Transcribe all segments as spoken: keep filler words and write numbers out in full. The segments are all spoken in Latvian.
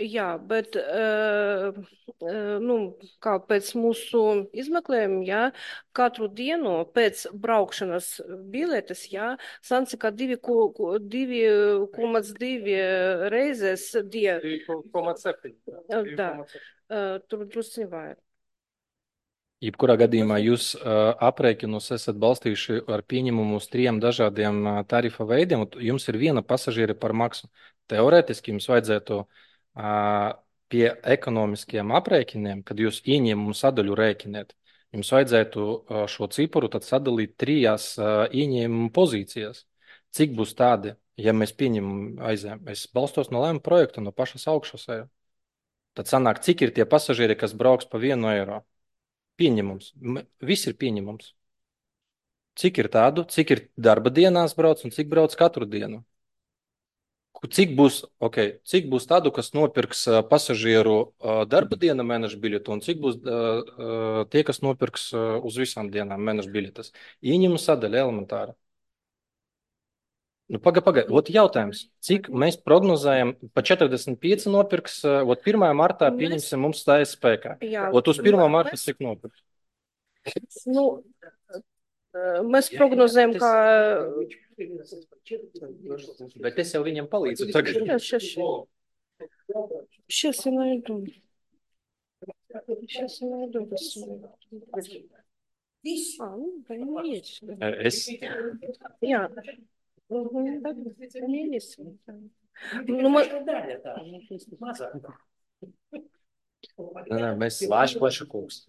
Jā, bet uh, uh, nu, kā pēc mūsu izmeklējuma, jā, katru dienu pēc braukšanas biletes, jā, sanāca, ka divi koma divi reizes die. divi koma septiņi. Tā, uh, tur drusci vairāk. Jebkurā gadījumā jūs uh, aprēķinus esat balstījuši ar pieņemumu uz trim dažādiem uh, tarifa veidiem, un jums ir viena pasažiera par maksu. Teorētiski jums vajadzētu uh, pie ekonomiskiem aprēķiniem, kad jūs ieņēmumu sadaļu rēķiniet, jums vajadzētu uh, šo ciparu tad sadalīt trijās uh, ieņēmumu pozīcijās. Cik būs tādi, ja mēs pieņemam aizēm? Es balstos no lēmuma projekta, no pašas augšas. Tad sanāk, cik ir tie pasažieri, kas brauks pa vienu eiro? Pieņemums. Viss ir pieņemums. Cik ir tādu, cik ir darba dienās brauc un cik brauc katru dienu? Cik būs, okay, cik būs tādu, kas nopirks uh, pasažieru uh, darba diena mēneša biļetu un cik būs uh, uh, tie, kas nopirks uh, uz visām dienām mēneša biļetes? Ieņem sadaļa elementāra. Nu, paga, paga. Ot jautājums, cik mēs prognozējam, pa četrdesmit pieci nopirks, uh, ot pirmajā martā pieņemsim mums stājas spēkā. Jā, ot uz pirmā marta cik nopirks? Nu, mēs prognozējam, ka... Bet es jau viņam palīdzu tagad. Сейчас, сейчас. Сейчас я найду. Сейчас я найду. А, ну, да, есть. Es, Jā. Mhm, tad viņi ir. Nu, man... Nē, nē, mēs slāši plaša kungs.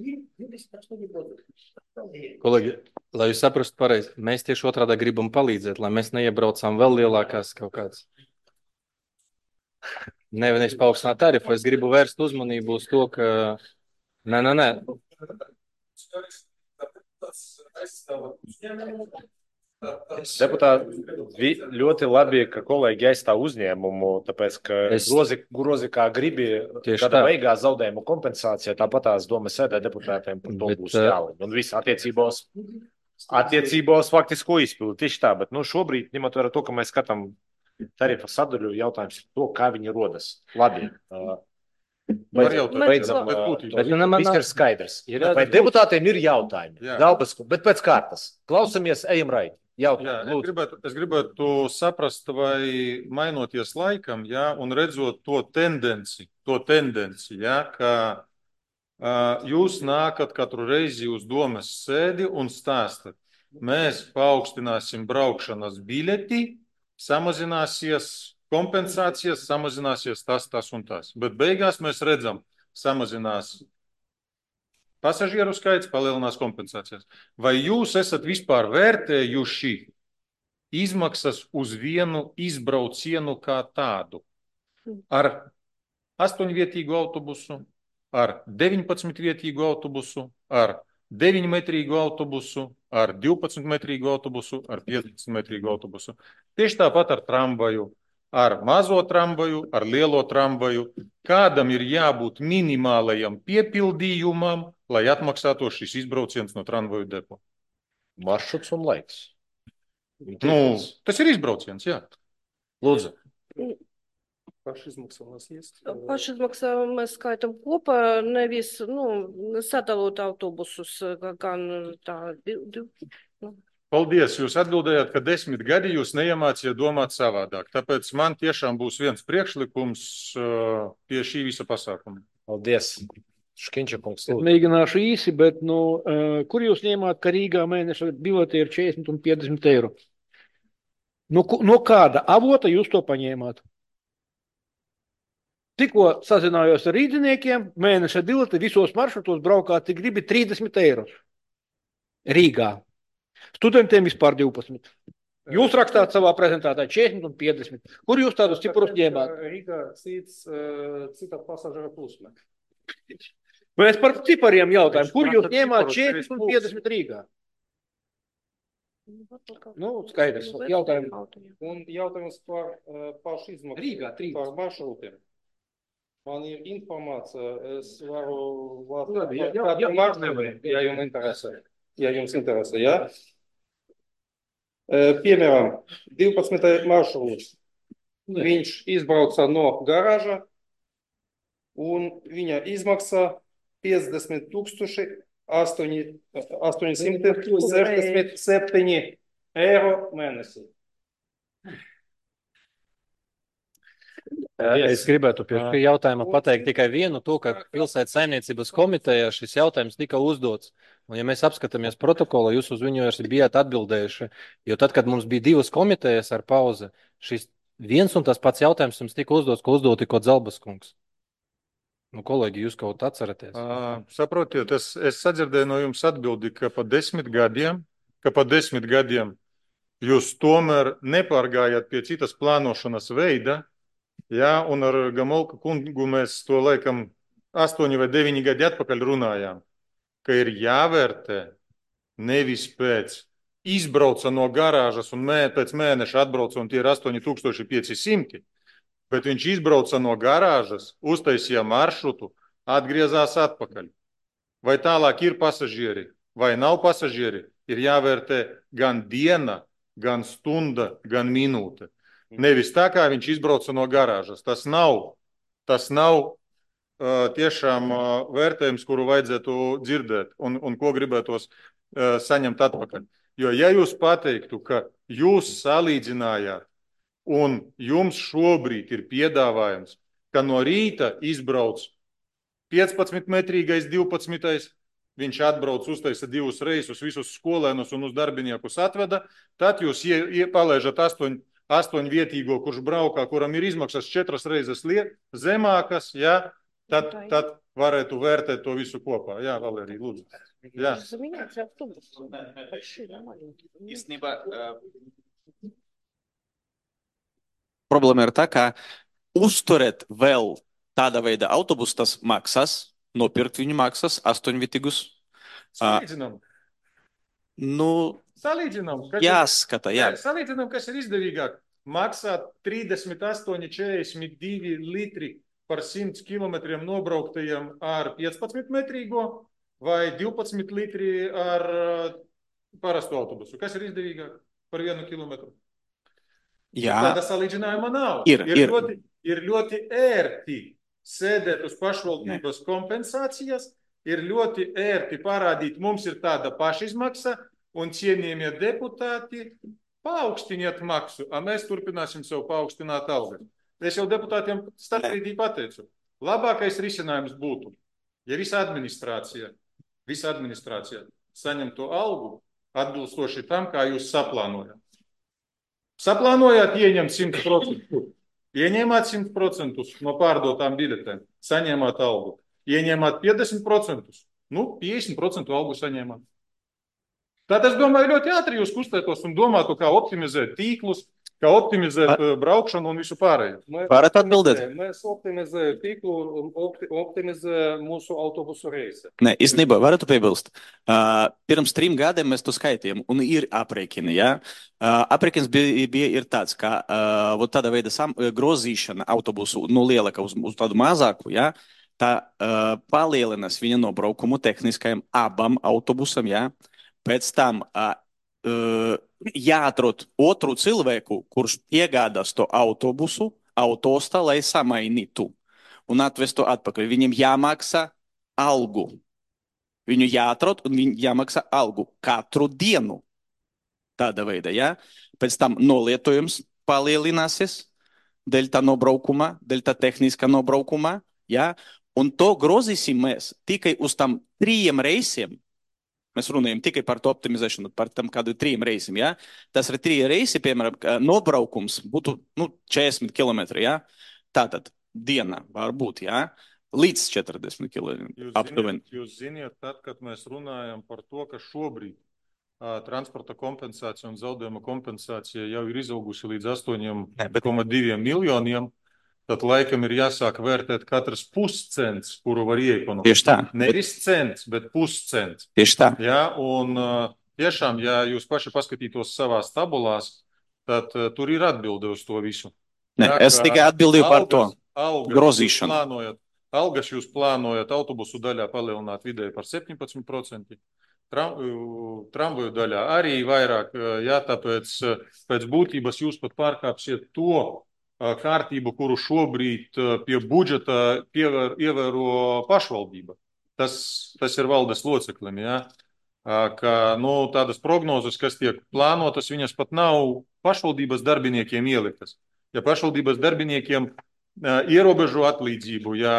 Kolēģi, lai jūs saprastu pareizi, mēs tieši otrādā gribam palīdzēt, lai mēs neiebraucām vēl lielākās kaut kādas. Nevis paaugstināt tarifu, es gribu vērst uzmanību uz to, ka... Nē, nē, nē. Deputāti, ļoti labi, ka kolēģi aizstāv uzņēmumu, tāpēc, ka Es- grozi, grozi kā gribi Tieši gada tā. beigās zaudējumu kompensācija, tāpat tās domas sēdē deputātiem par to Bet, būs eh, jālim. Un viss attiecībos, attiecībos faktisko izpildu. Tieši tā, bet nu, šobrīd, ņemot vērā to, ka mēs skatām tarifa sadaļu, jautājums ir to, kā viņi rodas. Labi. uh, Var Beidzam, jautāt, beidzam, bet uh, būtībā. to. Bet, nu, man Viss nav- ir skaidrs. Ir Vai jābūt- deputātiem ir jautājumi? Jā. Daubas, bet pēc kārtas. Klausamies, ejam raidi. Jā, Jautājumi, es lūdzu. gribētu, es gribētu saprast, vai mainoties laikam, jā, un redzot to tendenci, to tendenci, jā, ka uh, jūs nākat katru reizi uz domas sēdi un stāstat, mēs paaugstināsim braukšanas biļeti, samazināsies kompensācijas, samazināsies tas, tas un tas. Bet beigās mēs redzam, samazinās pasažieru skaits, palielinās kompensācijas. Vai jūs esat vispār vērtējuši izmaksas uz vienu izbraucienu kā tādu? Ar astoņvietīgu autobusu, ar deviņpadsmitvietīgu autobusu, ar deviņmetrīgu autobusu, ar divpadsmitmetrīgu autobusu, ar piecpadsmitmetrīgu autobusu. Tieši tāpat ar tramvaju, ar mazo tramvaju, ar lielo tramvaju. Kādam ir jābūt minimālajam piepildījumam, lai atmaksātu šis izbrauciens no tramvaju depo? Maršruts un laiks. Nu, tas ir izbrauciens, jā. Lūdzu. Pašizmaksā mums iest. Pašizmaksā mēs skaitam kopā, nevis, nu, sadalot autobusus, kā- kā nu, tā, div, div, nu. Paldies, jūs atbildējāt, ka desmit gadi jūs neiemācījāt domāt savādāk. Tāpēc man tiešām būs viens priekšlikums uh, pie šī visa pasākuma. Paldies. Škiņča kungs. Es Lūdzu. mēģināšu īsi, bet nu, uh, kur jūs ņēmāt, ka Rīgā mēneša bilete ir četrdesmit un piecdesmit eiro? No, ku- no kāda avota jūs to paņēmāt? Tikko sazinājos ar rīdziniekiem, mēneša bilete visos maršrutos braukā, cik gribi trīsdesmit eiro. Rīgā. Studentiem vispār divpadsmit. Jūs rakstāt savā prezentācijā četrdesmit un piecdesmit. Kur jūs tādus ciprus ņēmāt? Rīgā cits, uh, cita pasažera plūsma. Mēs par cipariem jautājam, kur jūs Prasa ņēmāt ciparus, četrdesmit un trīs piecdesmit Rīgā? Nu, skaidrs. Jautājumi. Un jautājums par uh, pašizmaksu. Rīgā trīs. Par maršrutiem. Man ir informācija, es varu... Labi, jā, jā, kādu jā, maršrutu, ja jums interesē. Ja jums interesē, jā? Uh, piemēram, divpadsmitais maršruts. Viņš izbrauca no garāža, un viņa izmaksa piecdesmit tūkstoši astoņsimt sešdesmit septiņi eiro mēnesī. Es gribētu pie šī jautājuma pateikt tikai vienu to, ka pilsētas saimniecības komitejā šis jautājums tika uzdots. Un ja mēs apskatāmies protokolu, jūs uz viņu arī bijāt atbildējuši. Jo tad, kad mums bija divas komitejas ar pauzi, šis viens un tas pats jautājums jums tika uzdots, ko uzdot tikko Zelbas kungs. Nu, kolēģi, jūs kaut atceraties? Uh, saprotiet, es, es sadzirdēju no jums atbildi, ka pa desmit gadiem, ka pa desmit gadiem jūs tomēr nepārgājāt pie citas plānošanas veida, jā, un ar Gamolka kungu mēs to laikam astoņi vai deviņi gadi atpakaļ runājām, ka ir jāvērtē nevis pēc izbrauca no garāžas un mē, pēc mēneša atbrauca un tie ir astoņi tūkstoši pieci simti, bet viņš izbrauca no garāžas, uztaisīja maršrutu, atgriezās atpakaļ. Vai tālāk ir pasažieri, vai nav pasažieri, ir jāvērtē gan diena, gan stunda, gan minūte. Nevis tā, kā viņš izbrauca no garāžas. Tas nav, tas nav uh, tiešām uh, vērtējums, kuru vajadzētu dzirdēt un, un ko gribētos uh, saņemt atpakaļ. Jo ja jūs pateiktu, ka jūs salīdzinājāt un jums šobrīd ir piedāvājums, ka no rīta izbrauc piecpadsmitmetrīgais, divpadsmitais, viņš atbrauc, uztaisa divus reisus, visus skolēnus un uz darbiniekus atveda, tad jūs ie, ie, palaižat astoņ, astoņvietīgo, kurš braukā, kuram ir izmaksas četras reizes liet, zemākas, ja, tad, tad varētu vērtēt to visu kopā. Jā, Valērija, lūdzu. Jā. Īstenībā, problēma ir tā, ka uzturēt vēl tāda veida autobusu, tas maksas, nopirkt viņu maksas astoņvietīgus. Salīdzinām. Nu, salīdzinām. Jāskata, jā. Salīdzinām, kas ir izdevīgāk. Maksā trīsdesmit astoņi četrdesmit divi litri par simts kilometriem nobrauktajiem ar piecpadsmitmetrīgo vai divpadsmit litri ar parastu autobusu. Kas ir izdevīgāk par vienu kilometru? Jā. Tāda salīdzinājuma nav. Ir, ir, ir. Ļoti, ir ļoti ērti sēdēt uz pašvaldības kompensācijas, ir ļoti ērti parādīt, mums ir tāda pašizmaksa un cienījamie deputāti paaugstiniet maksu, a mēs turpināsim sev paaugstināt algas. Es jau deputātiem starpbrīdī pateicu, labākais risinājums būtu, ja visa administrācija, visa administrācija saņem to algu atbilstoši tam, kā jūs saplānojat. Saplānojāt ieņemt simt procentus. Ieņēmāt simt procentus no pārdotām biļetēm, saņēmāt algu. Ieņēmāt piecdesmit procentus, nu, piecdesmit procentu algu saņēmāt. Tad es domāju, ļoti ātri jūs kustētos un domātu, kā optimizēt tīklus, kā optimizēt Ar... braukšanu un visu pārējo. Varat atbildēt? Mēs optimizējam tīklu un opti, optimizējam mūsu autobusu reisi. Nē, īstenībā varētu piebilst. Uh, pirms trim gadiem mēs to skaitījām un ir aprēķini. Ja? Uh, aprēķins bija, bija ir tāds, ka uh, tāda veida sam, grozīšana autobusu no lielāka uz, uz tādu mazāku, ja? Tā uh, palielinās viņa nobraukumu tehniskajam abam autobusam, ja? Pēc tam uh, uh, jāatrod otru cilvēku, kurš iegādās to autobusu, autostā, lai samainītu un atvestu atpakaļ. Viņam jāmaksā algu. Viņu jāatrod un viņam jāmaksā algu katru dienu. Tāda veida, ja? Pēc tam nolietojums palielināsies dēļ tā nobraukuma, dēļ tā tehniskā nobraukuma, ja? Un to grozīsim mēs tikai uz tam trījiem reisiem. Mēs runājam tikai par to optimizēšanu, par tam kādu trījiem reisiem, ja? Tas ir trīs reisi, piemēram, nobraukums būtu, nu, četrdesmit kilometri, ja? Tātad diena var būt, ja? Līdz četrdesmit kilometriem. Jūs, jūs ziniet, tad, kad mēs runājam par to, ka šobrīd uh, transporta kompensācija un zaudējuma kompensācija jau ir izaugusi līdz astoņiem komā diviem miljoniem, tad laikam ir jāsāk vērtēt katrs puscents, kuru var ieekonomēt. Tieši tā. Nevis cents, bet puscents. Tieši tā. Ja, un uh, tiešām, ja jūs paši paskatītos savās tabulās, tad uh, tur ir atbilde uz to visu. Ne, ja, es tikai atbildīju par to algas grozīšanu. Jūs plānojat, algas jūs plānojat autobusu daļā palielināt vidēji par septiņpadsmit procentiem. Tram, tramvaju daļā arī vairāk, ja, tāpēc pēc būtības jūs pat pārkāpsiet to kārtību, kuru šobrīd pie budžeta pievēr, ievēro pašvaldība. Tas, tas ir valdes loceklim, ja? Ka, nu, tādas prognozes, kas tiek plānotas, viņas pat nav pašvaldības darbiniekiem ieliktas. Ja pašvaldības darbiniekiem ierobežo atlīdzību, ja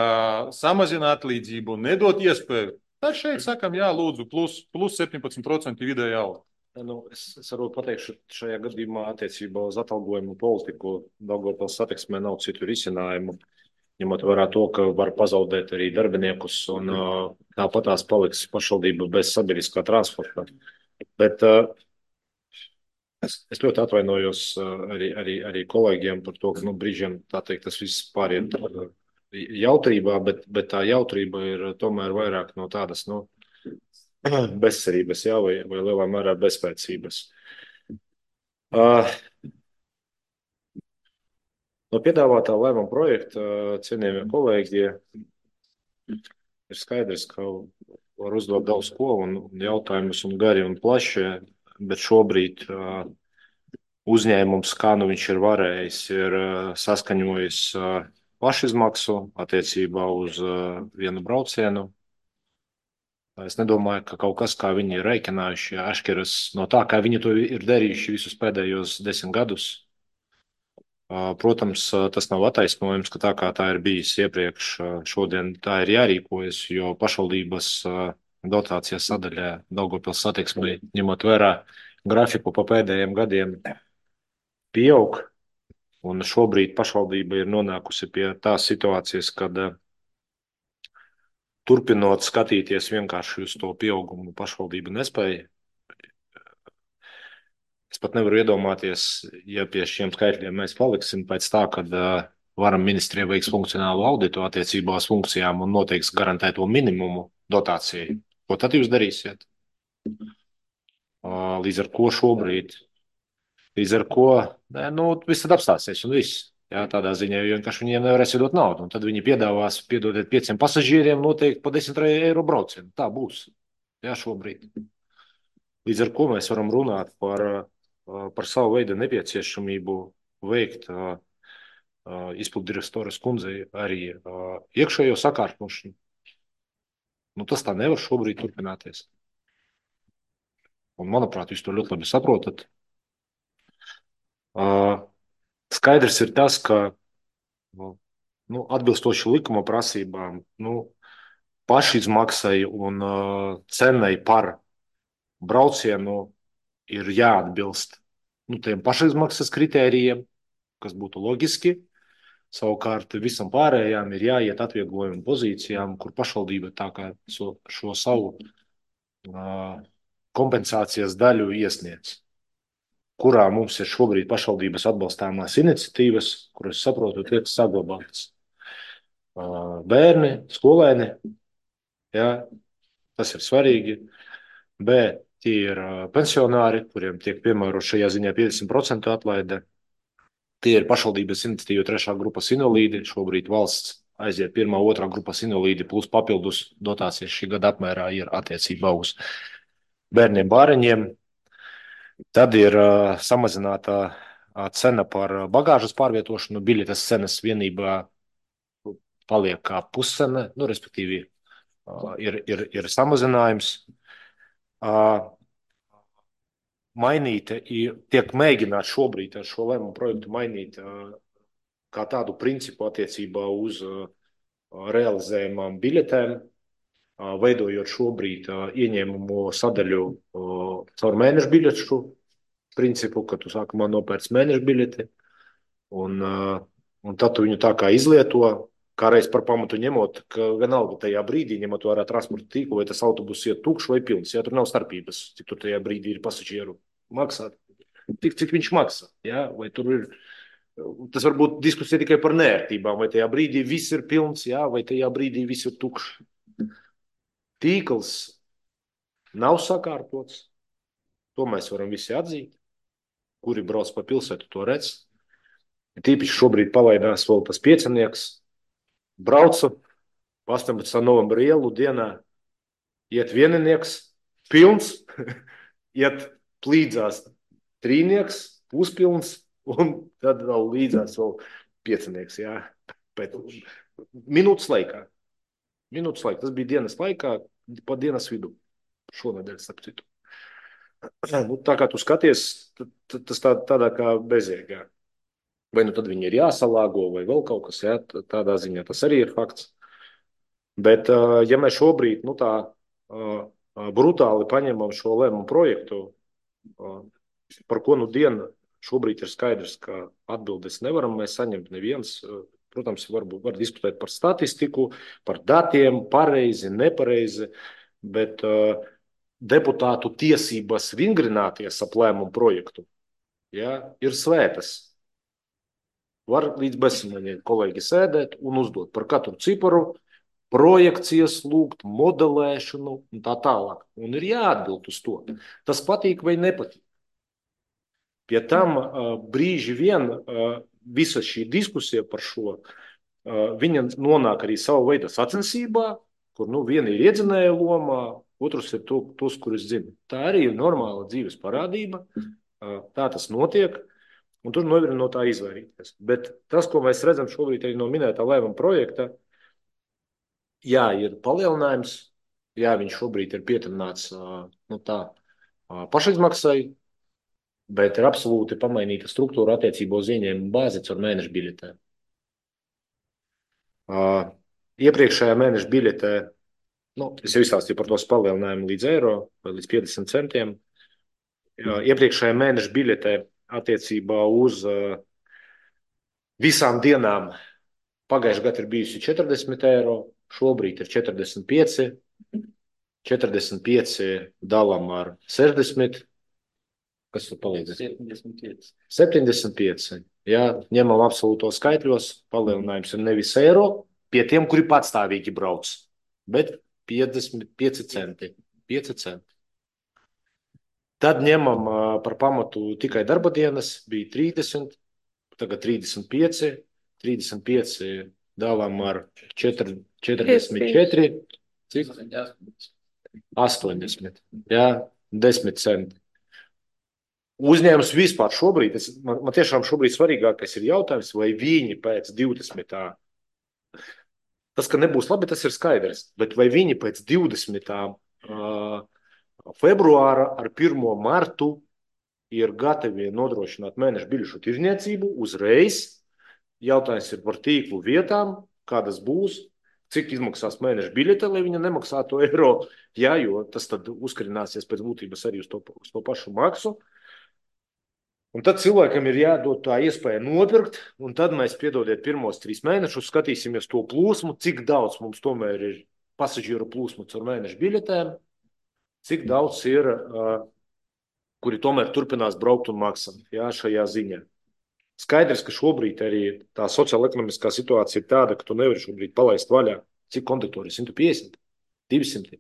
samazina atlīdzību, nedot iespēju, tad šeit sakam, jā, lūdzu, plus, plus septiņpadsmit procenti vidēja alga. Nu, es, es varu pateikšu, šajā gadījumā attiecībā uz atalgojumu politiku Daugavpils satiksmē nav citu risinājumu, ņemot vērā to, ka var pazaudēt arī darbiniekus un uh, tāpatās paliks pašvaldība bez sabiedriskā transporta. Bet uh, es, es ļoti atvainojos uh, arī, arī, arī kolēģiem par to, ka nu, brīžiem tā teikt, tas viss pāriet uh, jautrībā, bet, bet tā jautrība ir tomēr vairāk no tādas, nu, bezcerības, jā, vai, vai lielā mērā bezspēcības. Uh, no piedāvātā lēmuma projekta, cienījamie kolēģi, ir skaidrs, ka var uzdot daudz ko un jautājumus un gari un plaši, bet šobrīd uh, uzņēmums, kā nu viņš ir varējis, ir uh, saskaņojis uh, pašizmaksu attiecībā uz uh, vienu braucienu. Es nedomāju, ka kaut kas, kā viņi ir rēķinājuši, atšķiras no tā, kā viņi to ir darījuši visus pēdējos desmit gadus. Protams, tas nav attaisnojums, ka tā kā tā ir bijis iepriekš, šodien tā ir jārīkojas, jo pašvaldības dotācijas sadaļā Daugavpils satiksmei, ņemot vērā grafiku pa pēdējiem gadiem, pieaug. Un šobrīd pašvaldība ir nonākusi pie tās situācijas, kad turpinot skatīties vienkārši uz to pieaugumu, pašvaldība nespēja. Es pat nevaru iedomāties, ja pie šiem skaitļiem mēs paliksim pēc tā, kad uh, varam ministrija veiks funkcionālu auditu attiecībā uz funkcijām un noteiks garantēto minimumu dotācijai. Ko tad jūs darīsiet? Uh, līdz ar ko šobrīd? Līdz ar ko? Nē, nu, viss tad apstāsies un viss. Jā, tādā ziņā, jo vienkārši viņiem nevarēs iedot naudu. Un tad viņi piedāvās piedodiet pieciem pasažieriem noteikti pa desmit eiro braucienu. Tā būs. Jā, šobrīd. Līdz ar ko mēs varam runāt par, par savu veidu nepieciešamību veikt izpildu direktoras kundzei arī iekšējo sakārtošanu. Nu, tas tā nevar šobrīd turpināties. Un, manuprāt, jūs to ļoti labi saprotat. Uh, Skaidrs ir tas, ka nu, atbilstoši likuma prasībām nu, pašizmaksai un uh, cenai par braucienu ir jāatbilst nu, tiem pašizmaksas kritērijiem, kas būtu loģiski. Savukārt visam pārējām ir jāiet atvieglojumu pozīcijām, kur pašvaldība tā kā šo, šo savu uh, kompensācijas daļu iesniedz. Kurā mums ir šobrīd pašvaldības atbalstāmās iniciatīvas, kuras, saprotu, tiek saglabātas. Bērni, skolēni, jā, tas ir svarīgi. B, tie ir pensionāri, kuriem tiek piemērot šajā ziņā piecdesmit procenti atlaide. Tie ir pašvaldības iniciatīva trešā grupas invalīdi. Šobrīd valsts aiziet pirmā, otrā grupas invalīdi plus papildus dotācijas šī gada apmērā ir attiecībā uz bērniem, bāreņiem. Tad ir uh, samazināta uh, cena par bagāžas pārvietošanu. Biļetes cenas vienībā paliek kā puscena, nu, respektīvi uh, ir, ir, ir samazinājums. Uh, mainīt, tiek mēģināt šobrīd ar šo lēmumu projektu mainīt uh, kā tādu principu attiecībā uz uh, realizējumām biļetēm, uh, veidojot šobrīd uh, ieņēmumu sadaļu uh, caur mēnešu biļešu principu, ka tu sākumā nopērc mēnešu biļeti un, uh, un tad tu viņu tā kā izlieto, kā reiz par pamatu ņemot, ka vienalga tajā brīdī, ņemot vērā transporta tīklu, vai tas autobus iet tukšs vai pilns, ja tur nav starpības, cik tur tajā brīdī ir pasažieru maksāt, tik cik viņš maksā, ja? Vai tur ir, tas var būt diskusija tikai par nērtībām, vai tajā brīdī viss ir pilns, ja? Vai tajā brīdī viss ir tukšs. Tīkls nav sakārtots, to mēs varam visi atzīt, kuri brauc pa pilsētu, to redz. Tīpaši šobrīd palaidās vēl tas piecinieks, braucu pa astoņpadsmitā novembra ielu dienā, iet vieninieks, pilns, iet līdzās trīnieks, puspilns, un tad vēl līdzās vēl piecinieks, jā, pēc minūtes laikā. Minūtes laikā. Tas bija dienas laikā, pa dienas vidu. Šonedēļ, starp citu. Nu, tā kā tu skaties, tas tā, tādā kā bezjēgā. Vai nu tad viņi ir jāsalāgo, vai vēl kaut kas, jā, tādā ziņā tas arī ir fakts. Bet, ja mēs šobrīd, nu tā, brutāli paņemam šo lēmumu projektu, par ko nu dienu šobrīd ir skaidrs, ka atbildes nevaram mēs saņemt neviens. Protams, varbūt var diskutēt par statistiku, par datiem, pareizi, nepareizi, bet uh, deputātu tiesības vingrināties ap lēmumu projektu, ja, ir svētas. Var līdz bezsamaņiem kolēģi sēdēt un uzdot par katru ciparu, projekcijas lūgt, modelēšanu un tā tālāk. Un ir jāatbild uz to. Tas patīk vai nepatīk. Pie tam brīži vien visa šī diskusija par šo, viņa nonāk arī savu veidu sacensībā, kur nu, viena ir iedzinēja lomā, otrs ir to, tos, kurus zina. Tā arī ir normāla dzīves parādība, tā tas notiek, un tur nevar no tā izvairīties. Bet tas, ko mēs redzam šobrīd arī no minētā lēmuma projekta, jā, ir palielinājums, jā, viņš šobrīd ir pieturināts nu, tā, pašizmaksai, bet ir absolūti pamainīta struktūra attiecībā uz ieņēmumu bāzi caur mēneša biļetēm. Uh, iepriekšējā mēneša biļetē, nu, es jau izstāstīju par tos palielinājumu līdz eiro vai līdz piecdesmit centiem. Uh, iepriekšējā mēneša biļetē attiecībā uz uh, visām dienām pagājušajā gadā ir bijusi četrdesmit eiro, šobrīd ir četrdesmit pieci, četrdesmit pieci dalām ar sešdesmit. Kas tur palīdz? septiņdesmit pieci. septiņdesmit pieci. Jā, ņemam absolūtos skaitļos, palielinājums ir nevis eiro pie tiem, kuri patstāvīgi brauc, bet piecdesmit pieci centi. pieci centi. Tad ņemam par pamatu tikai darba dienas, bija trīsdesmit, tagad trīsdesmit pieci, trīsdesmit pieci dalām ar četrdesmit četri, cik? astoņdesmit, jā, desmit centi. Uzņēmums vispār šobrīd, es, man, man tiešām šobrīd svarīgākais ir jautājums, vai viņi pēc divdesmitā Tas, ka nebūs labi, tas ir skaidrs, bet vai viņi pēc divdesmitā februāra ar pirmo martu ir gatavi nodrošināt mēneša biļešu tirniecību uzreiz? Jautājums ir par tīklu vietām, kādas būs, cik izmaksās mēneša biļete, lai viņa nemaksātu eiro, jā, jo tas tad uzkarināsies pēc būtības arī uz to, uz to pašu maksu. Un tad cilvēkam ir jādod tā iespēja nopirkt, un tad mēs, piedodiet, pirmos trīs mēnešus skatīsimies to plūsmu, cik daudz mums tomēr ir pasažieru plūsmu caur mēneša biļetēm, cik daudz ir, uh, kuri tomēr turpinās braukt un maksāt, jā, šajā ziņā. Skaidrs, ka šobrīd arī tā sociāla-ekonomiskā situācija ir tāda, ka tu nevari šobrīd palaist vaļā, cik konduktori, simt piecdesmit, divsimt.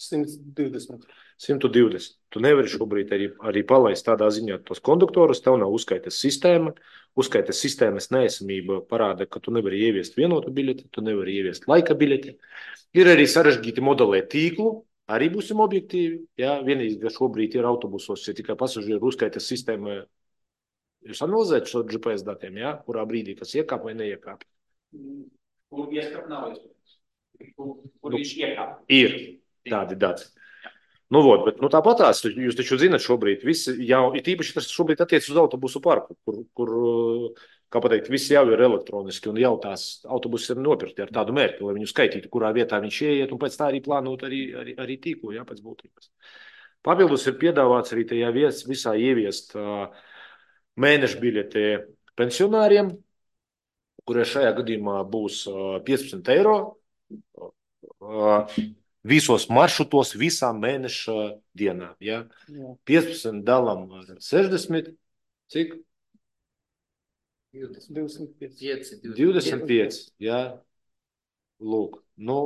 simt divdesmit. simt divdesmit. Tu nevari šobrīd arī, arī palaist tādā ziņā tos konduktorus, tev nav uzskaitas sistēma, uzskaitas sistēmas neesamība parāda, ka tu nevari ieviest vienotu biļeti, tu nevari ieviest laika biļeti. Ir arī sarežģīti modelēt tīklu, arī būsim objektīvi. Jā, vienīgi, ka šobrīd ir autobusos, ja tikai pasažieru uzskaitas sistēma, jūs analizējat šo G P S datiem, jā, kurā brīdī kas iekāp vai neiekāp? Kur ieskap nav iespējams. Kur, kur viņš iekāp? Ir tādi dati. Nu, vod, bet nu, tāpatās, jūs taču zināt šobrīd, visi jau, it īpaši tas šobrīd attiec uz autobusu parku, kur, kur, kā pateikt, visi jau ir elektroniski un jau tās autobusi ir nopirkti ar tādu mērķi, lai viņu skaitītu, kurā vietā viņš ieiet un pēc tā arī plānot arī, arī, arī tīklu, jā, pēc būtības. Papildus ir piedāvāts arī tajā vies, visā ieviest uh, mēneša biļeti pensionāriem, kurie šajā gadījumā būs uh, piecpadsmit eiro. Uh, Visos maršrutos, visām mēneša dienām. Ja? piecpadsmit dalām ar sešdesmit, cik? divdesmit pieci. divdesmit pieci, jā. Lūk, nu,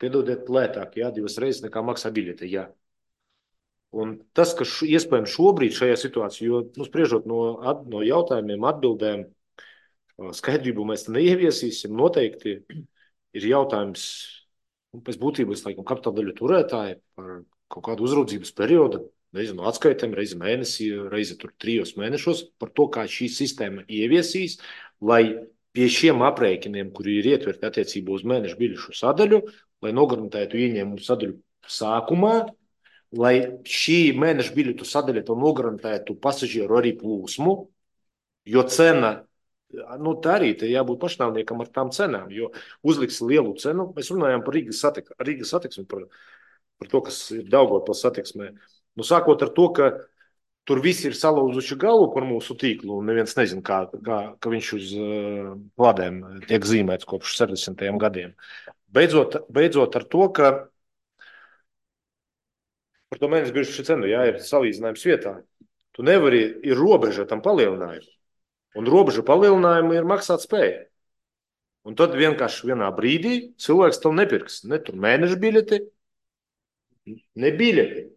piedodiet lētāk, jā, divas reizes nekā maksā biļete, jā. Un tas, ka š, iespējams šobrīd šajā situācijā, jo, nu, spriežot no, at, no jautājumiem, atbildēm, skaidrību mēs neieviesīsim, noteikti ir jautājums, un pēc būtības, laikam, kapitāla daļu turētāji par kaut kādu uzraudzības periodu, nezinu, atskaitēm reizi mēnesī, reizi tur trijos mēnešos par to, kā šī sistēma ieviesīs, lai pie šiem aprēķiniem, kuri ir ietverti attiecībā uz mēnešu biļešu sadaļu, lai nogarantētu ieņēmumu sadaļu sākumā, lai šī mēneša biļetu sadaļa to nogarantētu pasažieru arī plūsmu, jo cena, nu tā arī te jābūt pašnāvniekam ar tām cenām, jo uzliks lielu cenu. Mēs runājām par Rīgas satiksmi, Rīgas satiksmi par, par to, kas ir Daugavpils satiksmē. Nu, sākot ar to, ka tur visi ir salauzuši galvu par mūsu tīklu, un neviens nezin, kā, kā, ka viņš uz uh, lādēm tiek zīmēts kopš sešdesmitajiem gadiem. Beidzot, beidzot ar to, ka par to mēnešu biļešu cenu, jā, ir salīdzinājums vietā. Tu nevari, ir robeža tam palielinājumam, un robeža palielinājumu ir maksāt spēja. Un tad vienkārši vienā brīdī cilvēks tev nepirks ne tur mēnešu biļeti, ne biļeti.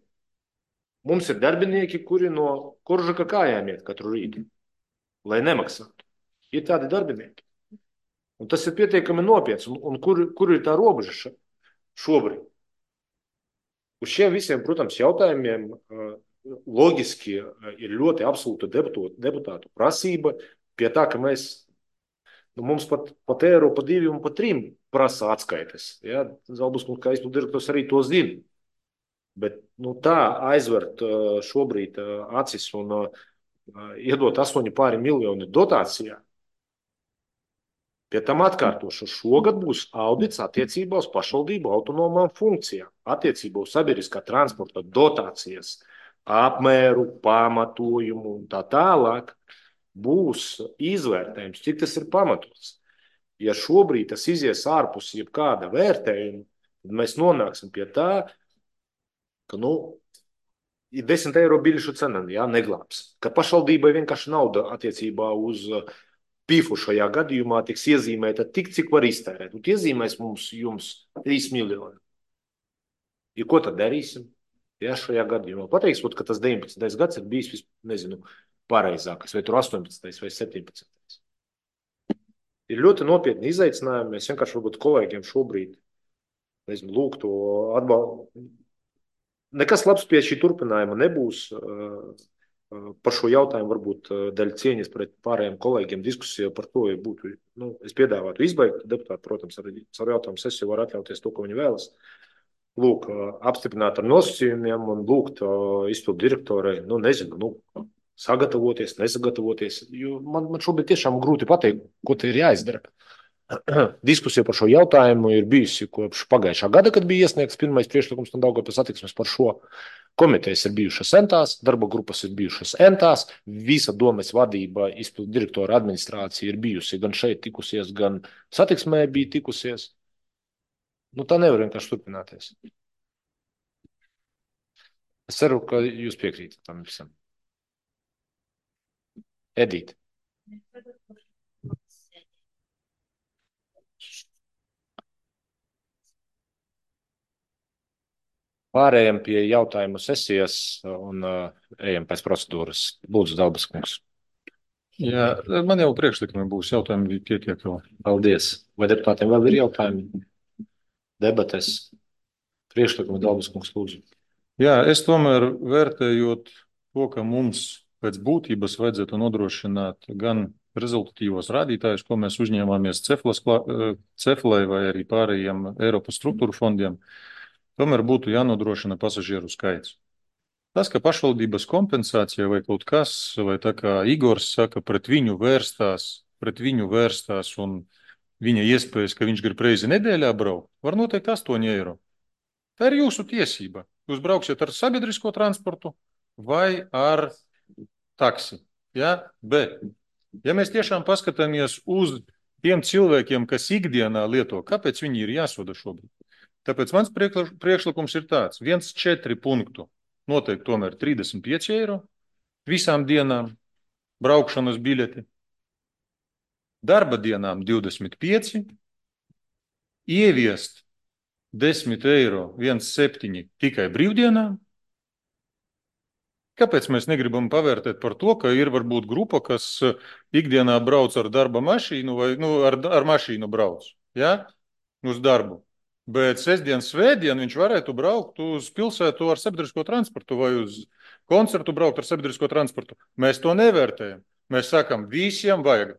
Mums ir darbinieki, kuri no Koržaka kājām iet katru rītu, lai nemaksātu. Ir tādi darbinieki. Un tas ir pietiekami nopietns. Un, un kur, kur ir tā robeža šobrīd? Uz šiem visiem, protams, jautājumiem loģiski ir ļoti absolūta deputātu, deputātu prasība pie tā, ka mēs, nu, mums pat, pat eiro, pa divi un pa trim prasa atskaites. Ja? Zalbuskungs, kā izpildu direktors, arī to zina. Bet nu, tā aizvert šobrīd acis un iedot astoņi pāri miljoni dotācijā. Pie tam atkārtošu, šogad būs audits attiecībā uz pašvaldību autonomām funkcijām, attiecībā uz sabiedriskā transporta dotācijas, apmēru, pamatojumu un tā tālāk. Būs izvērtējums, cik tas ir pamatots. Ja šobrīd tas izies ārpus jebkāda vērtējuma, tad mēs nonāksim pie tā, ka, nu, ir desmit eiro biļešu cena, jā, neglābs. Ka pašvaldībai vienkārši nauda attiecībā uz pīfu šajā gadījumā tiks iezīmēta tik, cik var iztērēt. Un iezīmēs mums jums trīs miljoni. Ja ko tad darīsim? Jā, šajā gadījumā. Pateiks, ka tas deviņpadsmitais gads ir bijis, nezinu, pareizākais, vai tur astoņpadsmitais vai septiņpadsmitais. Ir ļoti nopietni izaicinājumi. Mēs vienkārši varbūt kolēģiem šobrīd, nezinu, lūgtu atbalstu. Nekas labs pie šī turpinājuma nebūs. Par šo jautājumu varbūt daļa cieņas pret pārējiem kolēģiem diskusija par to, ja būtu, nu, es piedāvātu izbeigt. Deputāti, protams, arī ar jautājumu sesiju var atļauties to, ko viņi vēlas. Lūk, apstiprināt ar nosacījumiem un lūgt izpildu direktorai, nu, nezinu, nu, sagatavoties, nesagatavoties. Jo man, man šobrīd tiešām grūti pateikt, ko te ir jāizdara. Diskusija par šo jautājumu ir bijusi kopš pagājušā gada, kad bija iesniegts pirmais priekšlikums no Daugavpils satiksmes par šo. Komitejas ir bijušas entās, darba grupas ir bijušas entās, visa domes vadība, izpildu direktora administrācija ir bijusi gan šeit tikusies, gan satiksmē bija tikusies. Nu, tā nevar vienkārši turpināties. Es ceru, ka jūs piekrītat tam visam. Edita. Pārējām pie jautājumu sesijas un uh, ejam pēc procedūras. Lūdzu, Dalbaskungs. Jā, man jau priekšlikumi būs, jautājumi bija pietiek vēl. Paldies. Vai deputātiem vēl ir jautājumi? Debates. Priekšlikumi, Dalbaskungs, lūdzu. Jā, es tomēr vērtējot to, ka mums pēc būtības vajadzētu nodrošināt gan rezultatīvos rādītājus, ko mēs uzņēmāmies Ceflai vai arī pārējiem Eiropas struktūru fondiem, tomēr būtu jānodrošina pasažieru skaits. Tas, ka pašvaldības kompensācija vai kaut kas, vai tā kā Igors saka, pret viņu vērstās, pret viņu vērstās un viņa iespējas, ka viņš grib reizi nedēļā braukt, var noteikt astoņi eiro. Tā ir jūsu tiesība. Jūs brauksiet ar sabiedrisko transportu vai ar taksi. Ja? Bet, ja mēs tiešām paskatāmies uz tiem cilvēkiem, kas ikdienā lieto, kāpēc viņi ir jāsoda šobrīd? Tāpēc mans priekšlikums ir tāds, viens četri punktu noteikti tomēr trīsdesmit pieci eiro visām dienām braukšanas biļeti, darba dienām divdesmit pieci, ieviest desmit eiro viens septiņi tikai brīvdienām. Kāpēc mēs negribam pavērtēt par to, ka ir varbūt grupa, kas ikdienā brauc ar darba mašīnu vai nu, ar, ar mašīnu brauc, ja? Uz darbu. Bet sestdien, svētdien viņš varētu braukt uz pilsētu ar sabiedrisko transportu vai uz koncertu braukt ar sabiedrisko transportu. Mēs to nevērtējam. Mēs sakam, visiem vajag.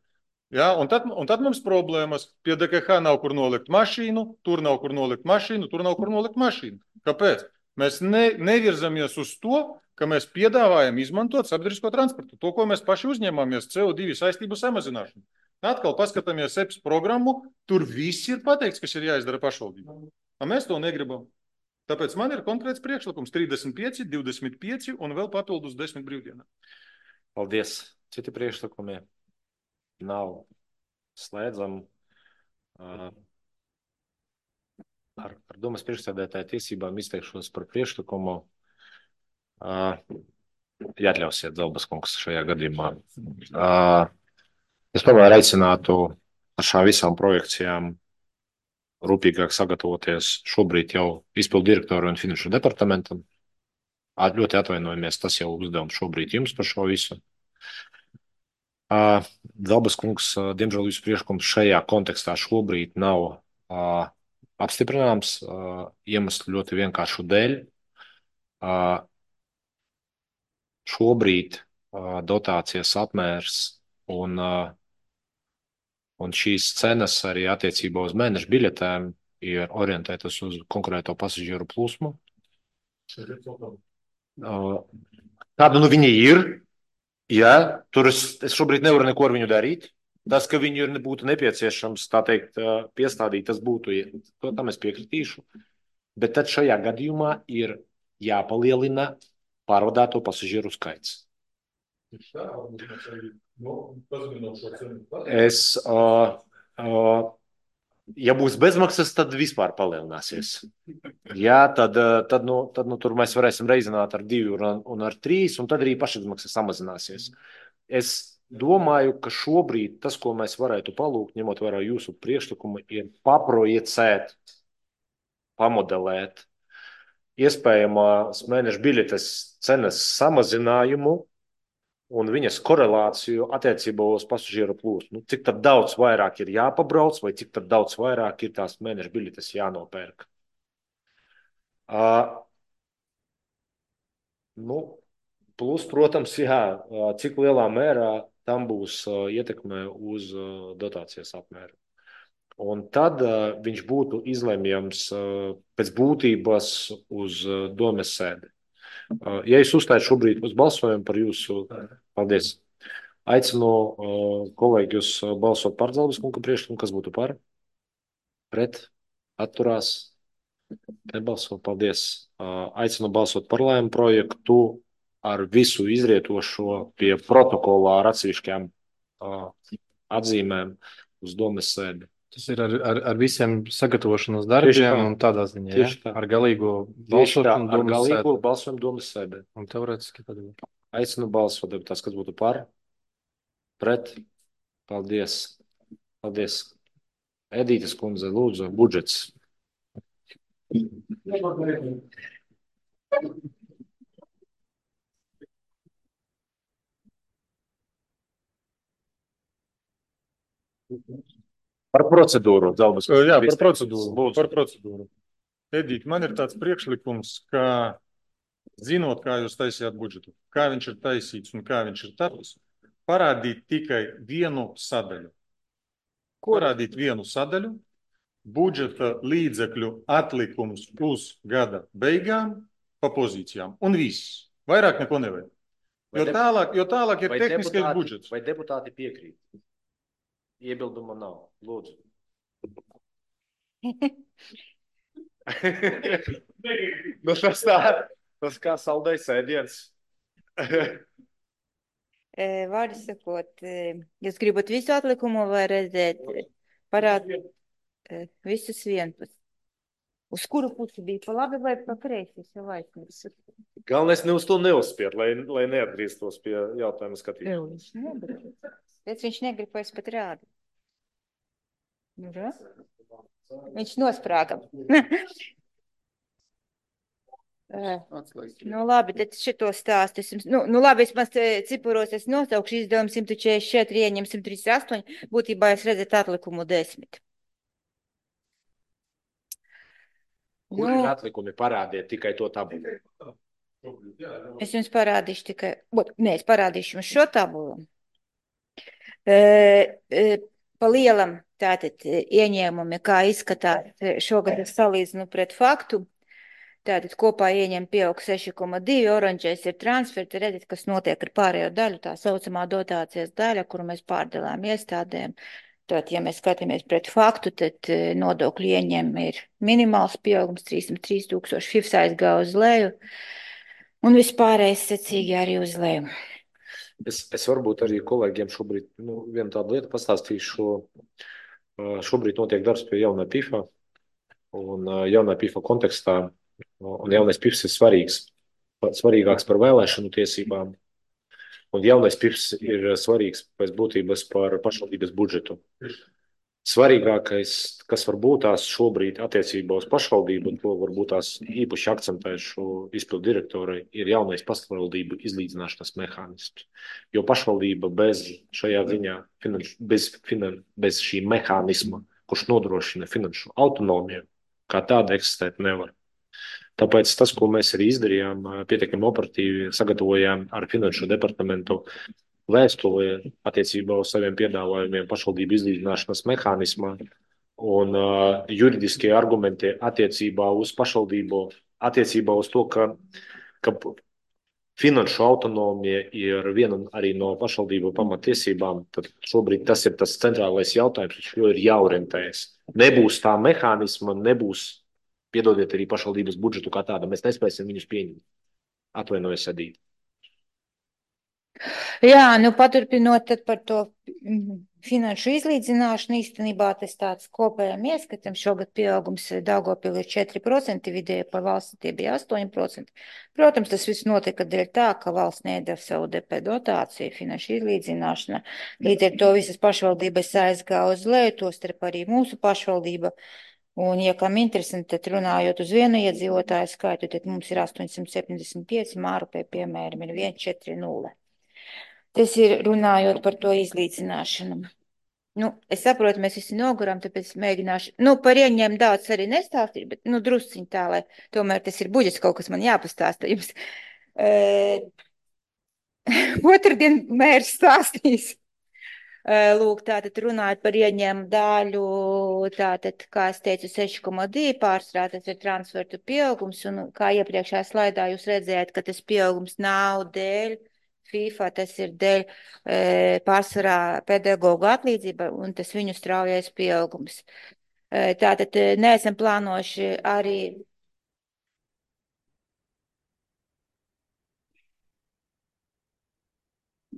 Ja? Un, tad, un tad mums problēmas. Pie D K H nav kur nolikt mašīnu, tur nav kur nolikt mašīnu, tur nav kur nolikt mašīnu. Kāpēc? Mēs ne, nevirzamies uz to, ka mēs piedāvājam izmantot sabiedrisko transportu. To, ko mēs paši uzņemamies, C O divi saistību samazināšanu. Atkal paskatāmies E P S programmu, tur viss ir pateikts, kas ir jāizdara pašvaldībām. Mēs to negribam. Tāpēc man ir konkrēts priekšlikums trīsdesmit pieci, divdesmit pieci un vēl papildus desmit brīvdienām. Paldies. Citi priekšlikumi nav. Slēdzam uh, ar, ar domas priekšsēdētāju tiesībām izteikšos par priekšlikumu. Uh, ja atļausiet, Zelbas kungs, šajā gadījumā. Uh, es tomēr aicinātu ar šām visām projekcijām rūpīgāk sagatavoties šobrīd jau izpildu direktoru un finanšu departamentam. Ļoti atvainojamies, tas jau uzdevums šobrīd jums par šo visu. Uh, Zelbas kungs, uh, diemžēl jūsu priekšlikums šajā kontekstā šobrīd nav uh, apstiprināms uh, iemeslu ļoti vienkāršu dēļ. Uh, šobrīd uh, dotācijas apmērs un, uh, un šīs cenas arī attiecībā uz mēnešu biļetēm ir orientētas uz konkrēto pasažieru plūsmu. Uh, tāda nu viņi ir. Jā, tur es, es šobrīd nevaru neko ar viņu darīt. Tas, ka viņu ir būtu nepieciešams, tā teikt, piestādīt, tas būtu, to tam es piekritīšu. Bet tad šajā gadījumā ir jāpalielina pārvadāto pasažieru skaits. Es, uh, uh, ja būs bezmaksas, tad vispār palielināsies. Jā, tad, tad, nu, tad nu, tur mēs varēsim reizināt ar divi un, un ar trīs, un tad arī pašizmaksas samazināsies. Es domāju, ka šobrīd tas, ko mēs varētu palūgt, ņemot vērā jūsu priekšlikumu, ir paprojicēt, pamodelēt iespējamās mēneša biļetes cenas samazinājumu un viņas korelāciju attiecībā uz pasažieru plūsmu. Nu, cik tad daudz vairāk ir jāpabrauc, vai cik tad daudz vairāk ir tās mēneša biļetes jānopērk. Uh, nu, plus, protams, jā, cik lielā mērā tam būs uh, ietekme uz uh, dotācijas apmēru. Un tad uh, viņš būtu izlemjams uh, pēc būtības uz uh, domes sēdi. Uh, ja es uzstāju šobrīd uz balsojumu par jūsu, paldies, aicinu uh, kolēģus balsot par Zelbas kunga priekšlikumu, kas būtu par, pret, atturās, nebalso, paldies. Uh, aicinu balsot par lēmumu projektu ar visu izrietošo pie protokolā ar atsevišķām uh, atzīmēm uz domes sēdi. Tas ir ar, ar, ar visiem sagatavošanas darbiem un tādā ziņā, ja? Tā. Ar galīgo balsojumu balsojumu ar galīgo balsojumu domas sēdē. Un teorētiski tad ir. Aicinu balsot, tas, kas būtu par, pret, paldies, paldies. Edītes kundze, lūdzu, budžets. Par procedūru, Zelbas. Jā, par procedūru. Par procedūru. Edīt, man ir tāds priekšlikums, ka zinot, kā jūs taisījāt budžetu, kā viņš ir taisīts un kā viņš ir tapis, parādīt tikai vienu sadaļu. Parādīt vienu sadaļu, budžeta līdzekļu atlikums uz gada beigām pa pozīcijām. Un viss. Vairāk neko nevajag. Jo tālāk, jo tālāk ir tehniskais budžets. Vai deputāti piekrīt? Iebilduma nav. Lūdzu. Nu, tas tā, tas kā saldais ēdiens. Vārdu sakot, jūs gribat visu atlikumu vai redzēt parādīt visus vienpus? Uz kuru pusi bija pa labi vai pa kreisi? Galvenais ne uz to neuzspiet, lai, lai neatgrieztos pie jautājuma skatīšanas. Pēc viņš negrib vairs pat rādīt. Nu, viņš nosprāga. Nu labi, tad šito stāstu. Nu, nu labi, es maz cipuros es nosaukšu izdevumu simt četrdesmit četri, ieņem simt trīsdesmit astoņi, būtībā es redzētu atlikumu desmit. Kur nu, ir atlikumi? Parādiet tikai to tabulu. Es jums parādīšu tikai, ot, nē, es parādīšu jums šo tabulu. E, e, pa lielam tātad ieņēmumi, kā izskatās šogad es salīdzinu pret faktu. Tātad kopā ieņem pieaug seši koma divi, oranžais ir transferti, redzat, kas notiek ar pārējo daļu, tā saucamā dotācijas daļa, kuru mēs pārdalām iestādēm. Tātad, ja mēs skatāmies pret faktu, tad nodokļu ieņem ir minimāls pieaugums, trīsdesmit trīs tūkstoši, F I F S aizgāja uz leju, un vispārējais secīgi arī uz leju. Es, es varbūt arī kolēģiem šobrīd nu, vienu tādu lietu pastāstīšu. Šobrīd notiek darbs pie jaunā P I F-a, un jaunā P I F-a kontekstā, un jaunais P I F S ir svarīgs, svarīgāks par vēlēšanu tiesībām, un jaunais P I F S ir svarīgs pēc būtības par pašvaldības budžetu. Svarīgākais, kas var būt tās šobrīd attiecībā uz pašvaldību, un to varbūt tās īpaši akcentēšu izpildu direktorai, ir jaunais pašvaldību izlīdzināšanas mehānisms. Jo pašvaldība bez šajā ziņā, finanš, bez, finan, bez šī mehānisma, kurš nodrošina finanšu autonomiju, kā tāda eksistēt nevar. Tāpēc tas, ko mēs arī izdarījām, pietiekami operatīvi sagatavojām ar finanšu departamentu vēstuli attiecībā uz saviem piedāvājumiem pašvaldību izlīdzināšanas mehānismā un uh, juridiskie argumenti attiecībā uz pašvaldību, attiecībā uz to, ka, ka finanšu autonomija ir viena arī no pašvaldību pamatiesībām, tad šobrīd tas ir tas centrālais jautājums, uz ko ir jāorientējas. Nebūs tā mehānisma, nebūs, piedodiet arī pašvaldības budžetu kā tāda, mēs nespēsim viņus pieņemt. Atvainojos, Edīte. Jā, nu paturpinot tad par to finanšu izlīdzināšanu, īstenībā tas tāds kopējam ieskatam. Šogad pieaugums Daugavpilī ir četri procenti, vidēji par valsti tie bija astoņi procenti. Protams, tas viss notika dēļ tā, ka valsts nedeva savu D P dotāciju finanšu izlīdzināšana. Līdz ar to visas pašvaldības aizgāja uz leju, tostarp arī mūsu pašvaldība. Un, ja kam interesanti, tad runājot uz vienu iedzīvotāju skaitu, tad mums ir astoņsimt septiņdesmit pieci, Mārupē, piemēram, ir viens četri nulle. Tas ir runājot par to izlīdzināšanu. Nu, es saprotu, mēs visi noguram, tāpēc mēģināšu, nu, par ieņēmumu daudz arī nestāstīt, bet, nu, drusciņ tā, lai tomēr tas ir budžets, kaut kas man jāpastāsta jums. E... Otrdien mērs stāstīs. Lūk, tātad runājot par ieņēmumu daļu, tātad, kā es teicu, seši koma divi pārsvarā, tas ir transfertu pieaugums, un kā iepriekšējā slaidā jūs redzējāt, ka tas pieaugums nav dēļ FIFA, tas ir dēļ e, pārsvarā pedagogu atlīdzība, un tas viņu straujais pieaugums. E, tātad neesam plānojuši arī.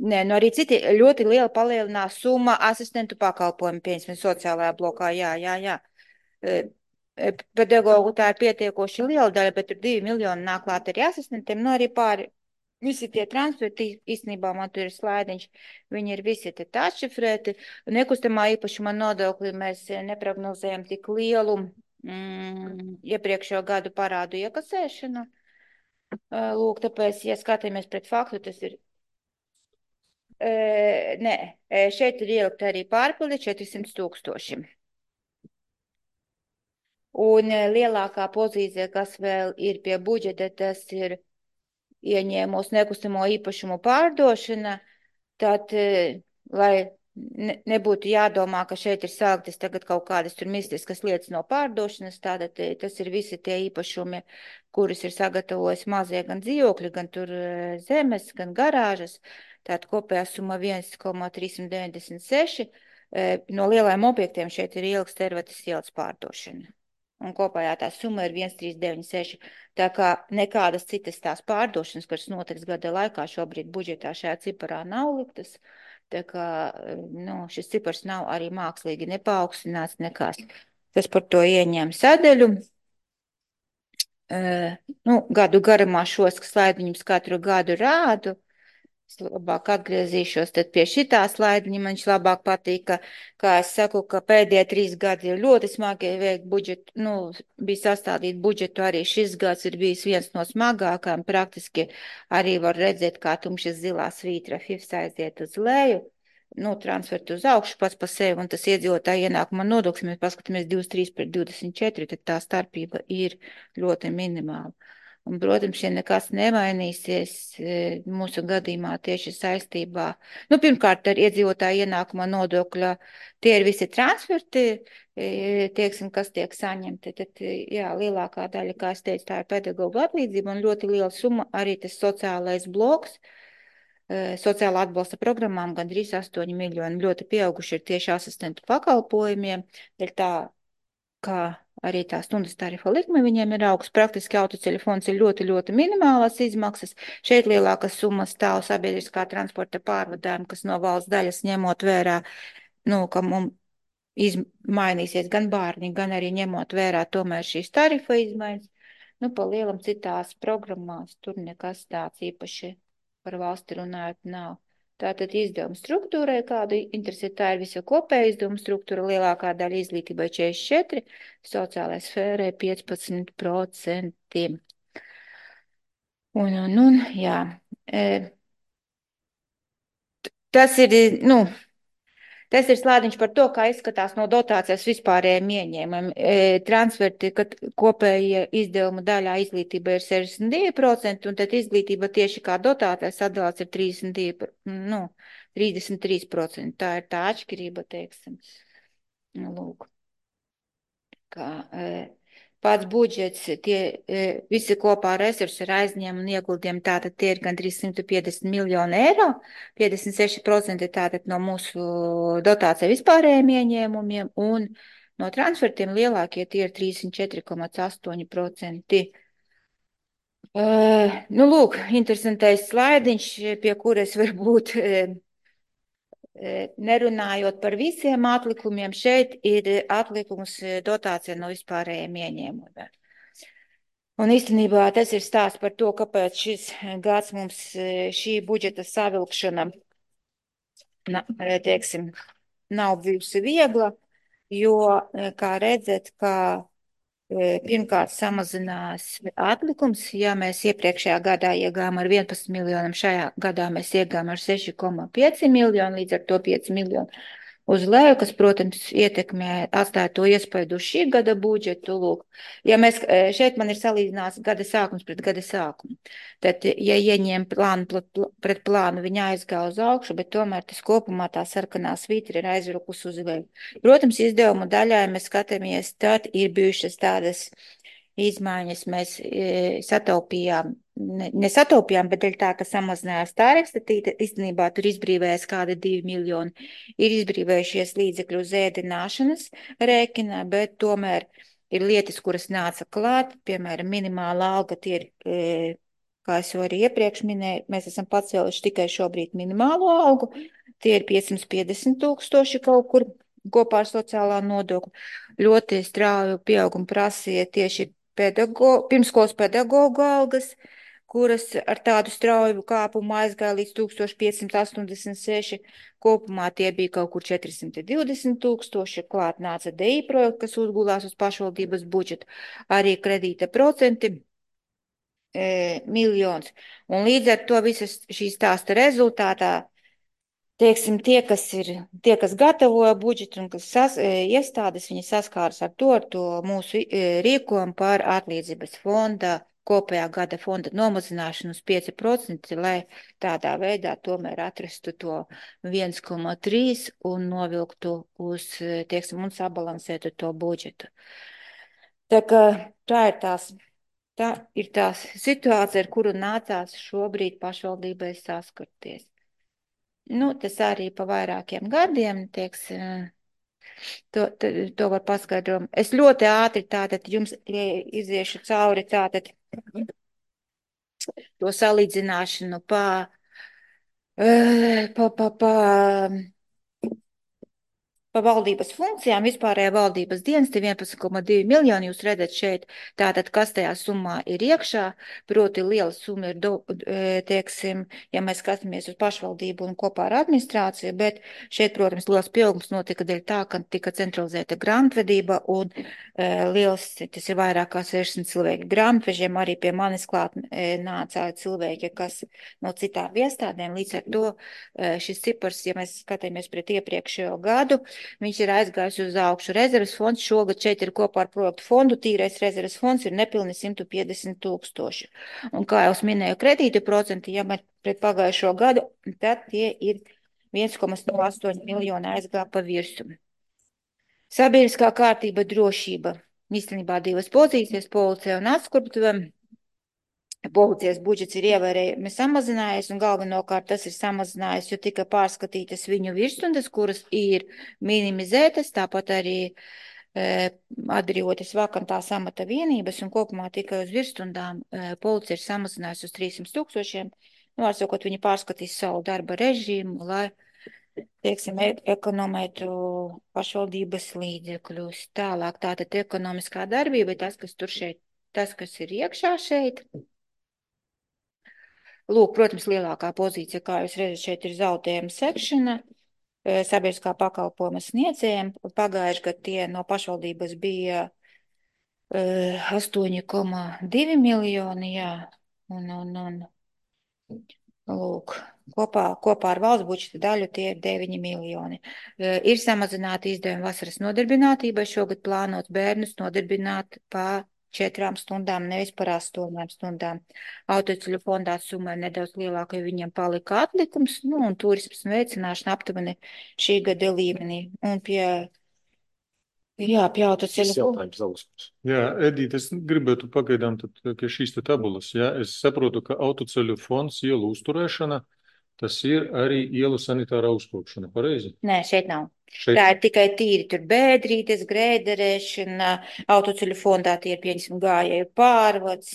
Nē, nu arī citi ļoti liela palielinās summa asistentu pakalpojumu, pieņemsim, sociālajā blokā, jā, jā, jā. Pedagogu tā ir pietiekoši liela daļa, bet tur divi miljoni nāk klāt arī asistentiem, nu arī pāri, visi tie transferti, īstenībā man tur ir slaidiņš, viņi ir visi te atšifrēti, nekustamā īpašuma nodokli mēs neprognozējam tik lielu mm, iepriekšējo gadu parādu iekasēšanu. Lūk, tāpēc, ja skatāmies pret faktu, tas ir. Uh, nē, šeit ir ielikt arī pārpildi četrsimt tūkstoši. Un lielākā pozīcija, kas vēl ir pie budžeta, tas ir ieņēmos nekustamo īpašumu pārdošana. Tad, lai ne, nebūtu jādomā, ka šeit ir sāktas tagad kaut kādas tur mistiskas lietas no pārdošanas, tātad tas ir visi tie īpašumi, kurus ir sagatavojis mazie gan dzīvokļi, gan tur zemes, gan garāžas. Tātad kopējā summa viens koma trīssimt deviņdesmit seši. No lielajiem objektiem šeit ir ieliks Tervetes ielas pārdošana. Un kopējā tā summa ir viens trīs deviņi seši. Tā kā nekādas citas tās pārdošanas, kas notiks gada laikā, šobrīd budžetā šajā ciparā nav liktas. Tā kā nu, šis cipars nav arī mākslīgi nepaaugstinās nekās. Tas par to ieņem sadaļu. Uh, nu, gadu garumā šos slaidiņus katru gadu rādu. Es labāk atgriezīšos tad pie šitā slaidiņa, man viņš labāk patīk, ka, kā es saku, ka pēdējie trīs gadi ir ļoti smagi veikt budžetu, nu, bija sastādīt budžetu, arī šis gads ir bijis viens no smagākām, praktiski arī var redzēt, kā tumšas zilā svītra F I F S aiziet uz leju, nu, transfertu uz augšu pats pa sevi, un tas iedzīvotāja ienākuma nodoklis, mēs paskatāmies divdesmit trīs pret divdesmit četri, tad tā starpība ir ļoti minimāla. Un, protams, ja nekas nemainīsies mūsu gadījumā tieši saistībā, nu, pirmkārt, ar iedzīvotāju ienākuma nodokļa, tie ir visi transferti, tieksim, kas tiek saņemti, tad, jā, lielākā daļa, kā es teicu, tā ir pedagoģa atlīdzība un ļoti liela summa arī tas sociālais bloks, sociāla atbalsta programmām gandrīz astoņi miljoni, ļoti pieauguši ir tieši asistentu pakalpojumiem, dēļ tā, kā arī tā stundas tarifa likme viņiem ir augsts, praktiski autoceļu fonds ir ļoti, ļoti minimālas izmaksas, šeit lielākas summas stāv sabiedriskā transporta pārvadājuma, kas no valsts daļas ņemot vērā, nu, ka mums izmainīsies gan bārni, gan arī ņemot vērā tomēr šīs tarifa izmaiņas, nu, pa lielam citās programmās tur nekas tāds īpaši par valsti runājot nav. Tātad izdevuma struktūrai, kādu interesi tā ir visa kopēja izdevuma struktūra, lielākā daļa izglītībai četrdesmit četri, sociālai sfērai piecpadsmit procenti. Un, un, un, jā. Tas ir, nu, tas ir slādiņš par to, kā izskatās no dotācijas vispārējiem ieņēmumiem. Transferti, kad kopējie izdevuma daļā izglītība ir sešdesmit divi procenti, un tad izglītība tieši kā dotācijas atdalās ir trīsdesmit divi, nu, trīsdesmit trīs procenti. Tā ir tā atšķirība, teiksim. Nu, lūk. Kā, pats budžets, tie visi kopā resursi ir aizņēmumi un ieguldījumi, tātad tie ir gandrīz simt piecdesmit miljoni eiro, piecdesmit seši procenti tātad no mūsu dotācija vispārējiem ieņēmumiem un no transfertiem lielākie tie ir trīsdesmit četri komats astoņi procenti. Uh, nu, lūk, interesantais slaidiņš, pie kuras varbūt uh, nerunājot par visiem atlikumiem, šeit ir atlikums dotācija no vispārējiem ieņēmumiem. Un īstenībā tas ir stāsts par to, kāpēc šis gads mums šī budžeta savilkšana, na, teiksim, nav bijusi viegla, jo, kā redzat, ka pirmkārt samazinās atlikums, ja mēs iepriekšējā gadā iegājām ar vienpadsmit miljoniem, šajā gadā mēs iegājām ar seši komats pieci miljoni, līdz ar to pieci miljoni uz leju, kas, protams, ietekmē, atstāja to iespaidu uz šī gada budžetu. Lūk. Ja mēs, šeit man ir salīdzinās gada sākums pret gada sākumu, tad, ja ieņem plānu pret plānu, viņa aizgāja uz augšu, bet tomēr tas kopumā tā sarkanā svītra ir aizrukus uz leju. Protams, izdevumu daļā, ja mēs skatāmies, tad ir bijušas tādas izmaiņas, mēs e, sataupījām, ne, nesataupījām, bet dēļ tā, ka samazinājās tarifs, tad īstenībā tur izbrīvējas kādi divi miljoni. Ir izbrīvējušies līdzekļu uz ēdināšanas rēķinā, bet tomēr ir lietas, kuras nāca klāt, piemēram, minimāla alga, tie ir, e, kā es jau arī iepriekš minēju, mēs esam pacēluši tikai šobrīd minimālo algu, tie ir piecsimt piecdesmit tūkstoši kaut kur kopā ar sociālā nodokļu. Ļoti strauju pieaugumu prasīja tieši pedago, pirmskolas pedagogu algas, kuras ar tādu strauju kāpumu aizgāja līdz tūkstoš piecsimt astoņdesmit seši. Kopumā tie bija kaut kur četrsimt divdesmit tūkstoši, klāt nāca D I projekts, kas uzgulās uz pašvaldības budžetu, arī kredīta procenti e, miljons. Un līdz ar to visas šīs stāsta rezultātā, teiksim, tie, kas ir, tie, kas gatavoja budžetu un kas sas, iestādes, viņi saskāras ar to, ar to mūsu rīkojumu par atlīdzības fonda, kopējā gada fonda nomazināšanu uz pieci procenti, lai tādā veidā tomēr atrastu to viens komats trīs un novilktu uz, teiksim, un sabalansētu to budžetu. Tā kā tā ir tās, tā ir tās situācija, ar kuru nācās šobrīd pašvaldībai saskarties. Nu, tas arī pa vairākiem gadiem, tieks, to, to, to var paskaidrot. Es ļoti ātri tātad jums iziešu cauri tātad to salīdzināšanu pa, pa, pa, pa, pa valdības funkcijām, vispārējā valdības dienesti vienpadsmit komats divi miljoni, jūs redzat šeit, tātad, kas tajā summā ir iekšā, proti liela summa ir, do, teiksim, ja mēs skatāmies uz pašvaldību un kopā ar administrāciju, bet šeit, protams, liels pieaugums notika dēļ tā, ka tika centralizēta grāmatvedība un e, liels, tas ir vairāk kā sešsimt cilvēki grāmatvežiem, arī pie manis klāt e, nāca cilvēki, kas no citām iestādēm, līdz ar to e, šis cipars, ja mēs skatāmies pret iepriekšējo gadu, viņš ir aizgājis uz augšu. Rezerves fonds šogad šeit ir kopā ar projektu fondu. Tīrais rezerves fonds ir nepilni simt piecdesmit tūkstoši. Un kā jau es minēju, kredītu procenti, ja mēs pret pagājušo gadu, tad tie ir viens komats nulle astoņi miljoni aizgā pa virsu. Sabiedriskā kārtība, drošība. Īstenībā divas pozīcijas, policija un atskurtuvē. Policijas budžets ir ievērējami samazinājies, un galvenokārt tas ir samazinājies, jo tika pārskatītas viņu virsstundas, kuras ir minimizētas, tāpat arī e, atbrīvotas vakantās amata vienības, un kopumā tikai uz virsstundām e, policija ir samazinājusi uz trīssimt tūkstošiem. Nu, atsakot, viņi pārskatīs savu darba režīmu, lai, teiksim, ekonomētu pašvaldības līdzekļus. Tālāk tātad ekonomiskā darbība ir tas, kas tur šeit, tas, kas ir iekšā šeit. Lūk, protams, lielākā pozīcija, kā jūs redzat, šeit ir zaudējuma sekšana, sabiedriskā pakalpojuma sniedzējiem. Pagājuši gadu tie no pašvaldības bija astoņi komā divi miljoni, jā, un, un, un, lūk, kopā, kopā ar valsts budžeta daļu tie ir deviņi miljoni. Ir samazināti izdevumi vasaras nodarbinātībai, šogad plānots bērnus nodarbināt pa četrām stundām, nevis par astoņām stundām. Autoceļu fondā summa ir nedaudz lielāka, jo viņiem palika atlikums, nu, un turismas veicināšana aptuveni šī gada līmenī. Un pie, jā, pie autoceļu fonda. Jā, Edīt, es gribētu pagaidām tad, pie šīs te tabulas. Jā, es saprotu, ka autoceļu fonds ielu uzturēšana, tas ir arī ielu sanitārā uzkopšana, pareizi? Nē, šeit nav. Šeit... Tā ir tikai tīri tur bēdrītes, grēderēšana, autoceļu fondā tie ir pieņemsim gājēju pārvads,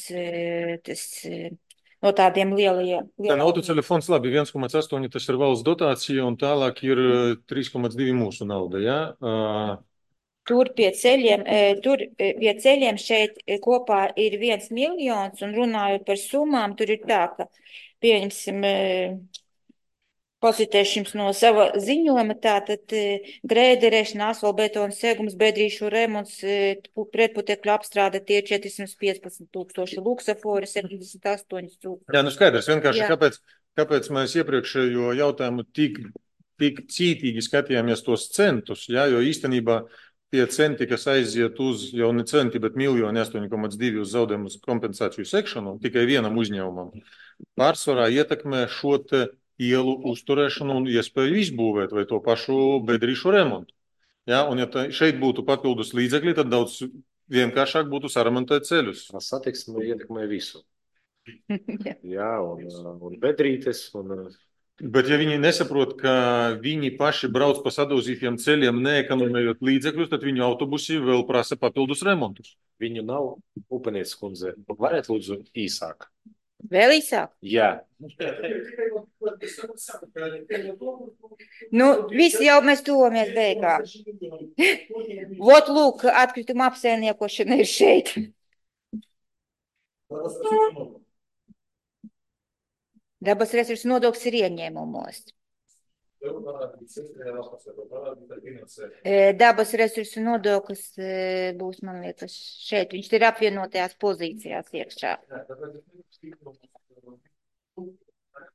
tas no tādiem lielajiem. Tā autoceļu fonds labi, viens komats astoņi tas ir valsts dotācija un tālāk ir trīs komats divi mūsu nauda, jā? Uh... Tur pie ceļiem, tur pie ceļiem šeit kopā ir viens miljons un runājot par summām, tur ir tā, ka pieņemsim... Pasitēšu jums no sava ziņojuma, tātad grēderēšana, asfaltbetona segums, bedrīšu remonts, pretputekļu apstrāde tie četrsimt piecpadsmit tūkstoši, luksafori septiņdesmit astoņi tūkstoši. Jā, nu skaidrs, vienkārši kāpēc, kāpēc mēs iepriekšējo jautājumu tik, tik cītīgi skatījāmies tos centus, jā, jo īstenībā tie centi, kas aiziet uz jau ne centi, bet miljoni astoņi komats divi uz zaudējumu kompensāciju sekšanu, tikai vienam uzņēmumam, pārsvarā ietekmē šo te ielu uzturēšanu un iespēju izbūvēt vai to pašu bedrīšu remontu. Ja, un ja šeit būtu papildus līdzekļi, tad daudz vienkāršāk būtu saremontēt ceļus. Satiksme ietekmē visu. Jā, un, un bedrītes. Un... Bet ja viņi nesaprot, ka viņi paši brauc pa sadauzītiem ceļiem, neekonomējot līdzekļus, tad viņu autobusi vēl prasa papildus remontus. Viņu nav, Upenieces kundze. Varētu lūdzu īsāk? Vēl īsāk? Jā. Nu, visi jau mēs tuvamies beigām. Vot, lūk, atkrituma apsaimniekošana ir šeit. Dabas resursu nodoklis ir ieņēmumos. Dabas resursu nodoklis būs, man liekas, šeit. Viņš ir apvienotajās pozīcijās iekšā.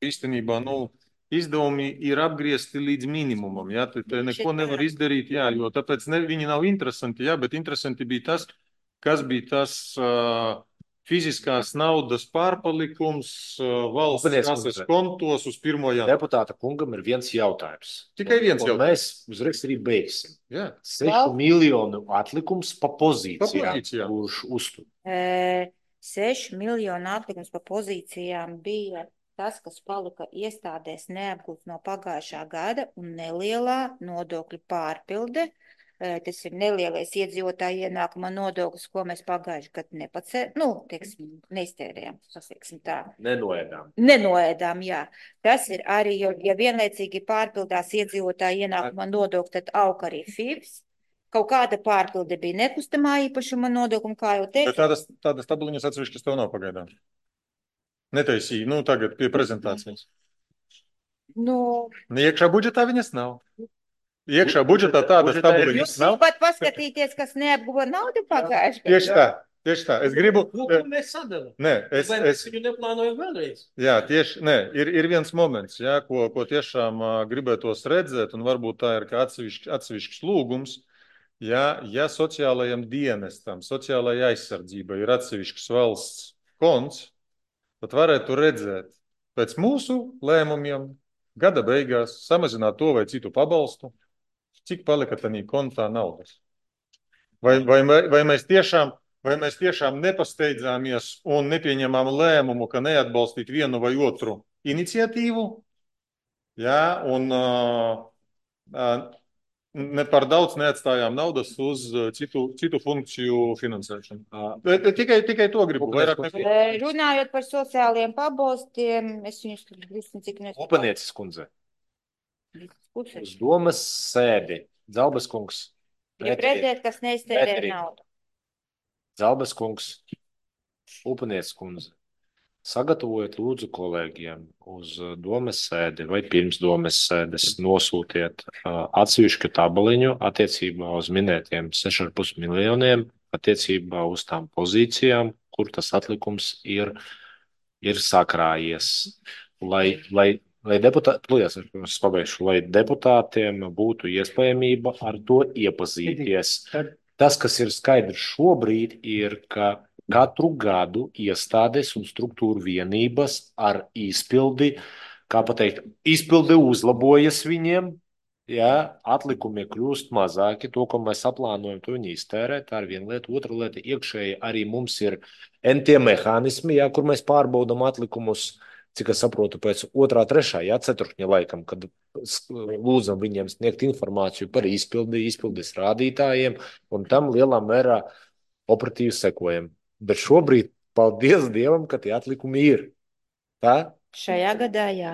Īstenībā, nu, izdevumi ir apgriezti līdz minimumam, jā, te, te neko nevar izdarīt, jā, jo tāpēc ne, viņi nav interesanti, jā, bet interesanti bija tas, kas bija tas uh, fiziskās naudas pārpalikums uh, valsts kases kontos uz pirmo janvāru. Deputāta kungam ir viens jautājums. Tikai viens un, jautājums. Un mēs uzreiz arī beigsim. Jā. Sešu miljonu atlikums pa pozīcijām, pa pozīcijām. Kurš uztur. E, sešu miljonu atlikums pa pozīcijām bija tas, kas palika iestādēs neapgūt no pagājušā gada un nelielā nodokļu pārpilde. Tas ir nelielais iedzīvotāju ienākuma nodoklis, ko mēs pagājuši gadu nepacē, nu, teiksim, neiztērējām, sasiksim tā. Nenoēdām. Nenoēdām, jā. Tas ir arī, jo, ja vienlaicīgi pārpildās iedzīvotāju ienākuma nodokli, tad aug arī F I Vs. Kaut kāda pārpilde bija nekustamā īpašuma nodokuma, kā jau teicu. Bet tādas, tādas tabuliņas atsevišķas tev nav pagaidām. Netaisīja, nu, tagad pie prezentācijas. Nu. Iekšā budžetā viņas nav. Iekšā budžetā tādas tabuliņas nav. Jūs pat paskatīties, kas neapguva naudu pagājuši. Tieši tā. Tieši tā, es gribu. Nu, ko mēs sadalām? Nē, es, Vai mēs es, viņu neplānojam vēlreiz? jā, tieši, nē, ir, ir viens moments, jā, ko, ko tiešām uh, gribētos redzēt, un varbūt tā ir kā atsevišķs, atsevišķs lūgums. Ja, ja sociālajam dienestam, sociālajai aizsardzībai ir atsevišķs valsts konts, tad varētu redzēt pēc mūsu lēmumiem gada beigās samazināt to vai citu pabalstu, cik palika tādā kontā naudas. Vai, vai, vai, mēs tiešām, vai mēs tiešām nepasteidzāmies un nepieņemām lēmumu, ka neatbalstīt vienu vai otru iniciatīvu, ja, un uh, uh, ne par daudz neatstājām naudas uz citu, citu funkciju finansēšanu. Tikai, tikai to gribu. Vairāk neko. Runājot par sociālajiem pabalstiem, es viņus visam cik nesu. Upanieces kundze. Uz domas sēdi. Zalbes kungs. Ja pretēt, kas neiztērē naudu. Zalbes kungs. Upanieces kundze. Sagatavojiet lūdzu kolēģiem uz domes sēdi vai pirms domes sēdes nosūtiet uh, atsevišķu tabaliņu attiecībā uz minētiem seši ar pus miljoniem, attiecībā uz tām pozīcijām, kur tas atlikums ir, ir sakrājies. Lai, lai, lai, deputā... Lūdās, es pabeigšu, lai deputātiem būtu iespējamība ar to iepazīties. Tas, kas ir skaidrs šobrīd, ir, ka katru gadu iestādes un struktūru vienības ar izpildi, kā pateikt, izpildi uzlabojas viņiem, ja, atlikumi kļūst mazāki, to, ko mēs aplānojam, to viņi iztērē, tā ir viena lieta. Otra lieta, iekšēji arī mums ir entie mehānismi, ja, kur mēs pārbaudam atlikumus, cik es saprotu, pēc otrā, trešā, ja, ceturkņa laikam, kad lūdzam viņiem sniegt informāciju par izpildi, izpildes rādītājiem, un tam lielā mērā operatīvi sekojam. Bet šobrīd, paldies Dievam, ka tie atlikumi ir. Tā? Šajā gadā, jā.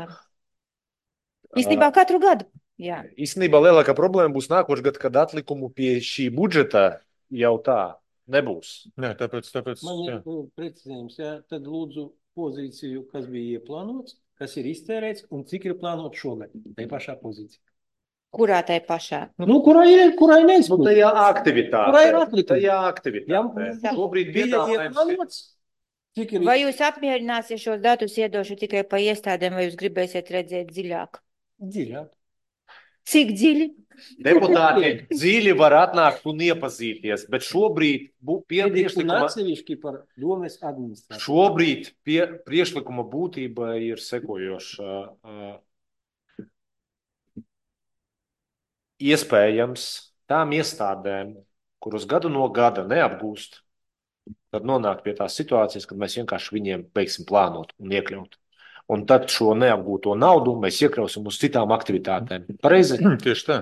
Īstenībā katru gadu, jā. Īstenībā lielākā problēma būs nākošais gads, kad atlikumu pie šī budžeta jau tā nebūs. Nē, tāpēc, tāpēc, Man jā. ir precizējums, jā. Tad lūdzu pozīciju, kas bija ieplānots, kas ir iztērēts un cik ir plānot šogad. Tai pašā pozīcijā. Kurā tai pašā? Nu, kurai ir, kurai neizpildīt? Nu, tajā aktivitātē. Kurai ir atlikumi? Tajā aktivitātē. Jā, šobrīd bija piedāvājums ir. ieplānots. Cik ir? Vai jūs apmierināsiet šos datus iedošu tikai pa iestādēm, vai jūs gribēsiet redzēt dziļāk? Dziļāk. Cik dziļi? Deputāti dziļi var atnākt un iepazīties, bet šobrīd bū, pie Un priekšlikuma, atsevišķi par domes administrāciju. šobrīd pie priekšlikuma būtība ir sekojoša. Iespējams, tām iestādēm, kuras gadu no gada neapgūst, tad nonāk pie tās situācijas, kad mēs vienkārši viņiem beigsim plānot un iekļaut. Un tad šo neapgūto naudu mēs iekļausim uz citām aktivitātēm. Pareizi? Tieši tā.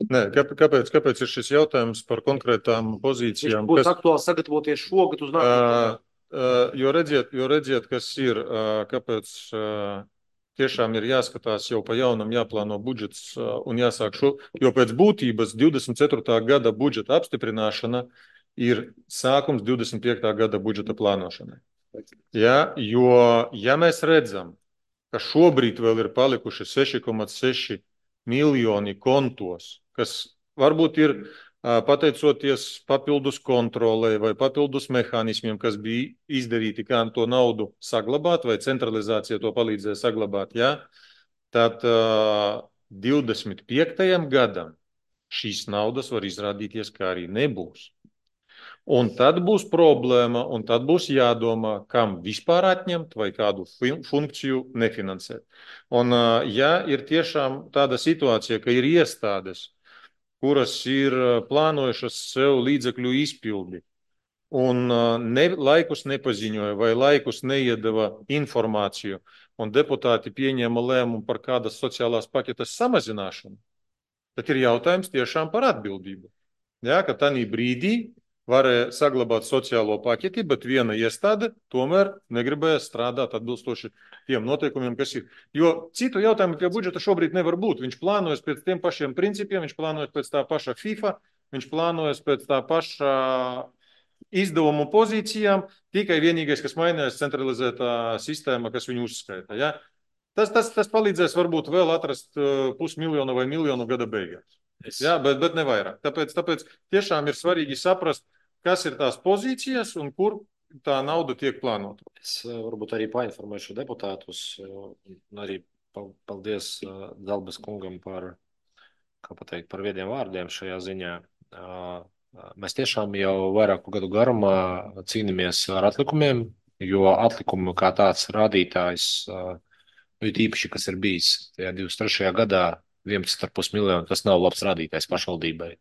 Nē, kāpēc, kāpēc ir šis jautājums par konkrētām pozīcijām? Būs kas... aktuāli sagatavoties šogad uz nākotnē. Uh, uh, jo, redziet, jo redziet, kas ir, uh, kāpēc uh, tiešām ir jāskatās jau pa jaunam, jāplāno budžets uh, un jāsāk šo, jo pēc būtības divdesmit ceturtā gada budžeta apstiprināšana ir sākums divdesmit piektā gada budžeta plānošanai. Ja, jo, ja mēs redzam, ka šobrīd vēl ir palikuši seši komats seši miljoni kontos, kas varbūt ir pateicoties papildus kontrolē vai papildus mehānismiem, kas bija izdarīti, kā to naudu saglabāt, vai centralizācija to palīdzēja saglabāt, ja? Tad uh, divdesmit piektajam gadam šīs naudas var izrādīties, kā arī nebūs. Un tad būs problēma, un tad būs jādomā, kam vispār atņemt vai kādu funkciju nefinansēt. Un uh, ja ir tiešām tāda situācija, ka ir iestādes, kuras ir plānojušas sev līdzekļu izpildi un ne, laikus nepaziņoja vai laikus neiedeva informāciju, un deputāti pieņēma lēmumu par kādas sociālās paketes samazināšanu, tad ir jautājums tiešām par atbildību. Ja, ka tādā brīdī varēja saglabāt sociālo paketi, bet viena iestāde tomēr negribēja strādāt atbilstoši tiem noteikumiem, kas ir. Jo citu jautājumu pie budžeta šobrīd nevar būt. Viņš plānojas pēc tiem pašiem principiem, viņš plānojas pēc tā paša FIFA, viņš plānojas pēc tā paša izdevumu pozīcijām, tikai vienīgais, kas mainās, centralizētā sistēma, kas viņu uzskaita. Ja? Tas, tas, tas palīdzēs varbūt vēl atrast pusmiljonu vai miljonu gada beigās. Ja? Bet, bet ne vairāk. Tāpēc, tāpēc tiešām ir svarīgi saprast, kas ir tās pozīcijas un kur tā nauda tiek plānota. Es eh, varbūt arī painformēšu deputātus, eh, un arī pal- paldies eh, Dalbas kungam par, kā pateikt, par viediem vārdiem šajā ziņā. Eh, Mēs tiešām jau vairāku gadu garumā cīnāmies ar atlikumiem, jo atlikumu kā tāds rādītājs, eh, nu, it īpaši, kas ir bijis tajā divdesmit trešajā gadā, vienpadsmit komats pieci miljoni, tas nav labs rādītājs pašvaldībai.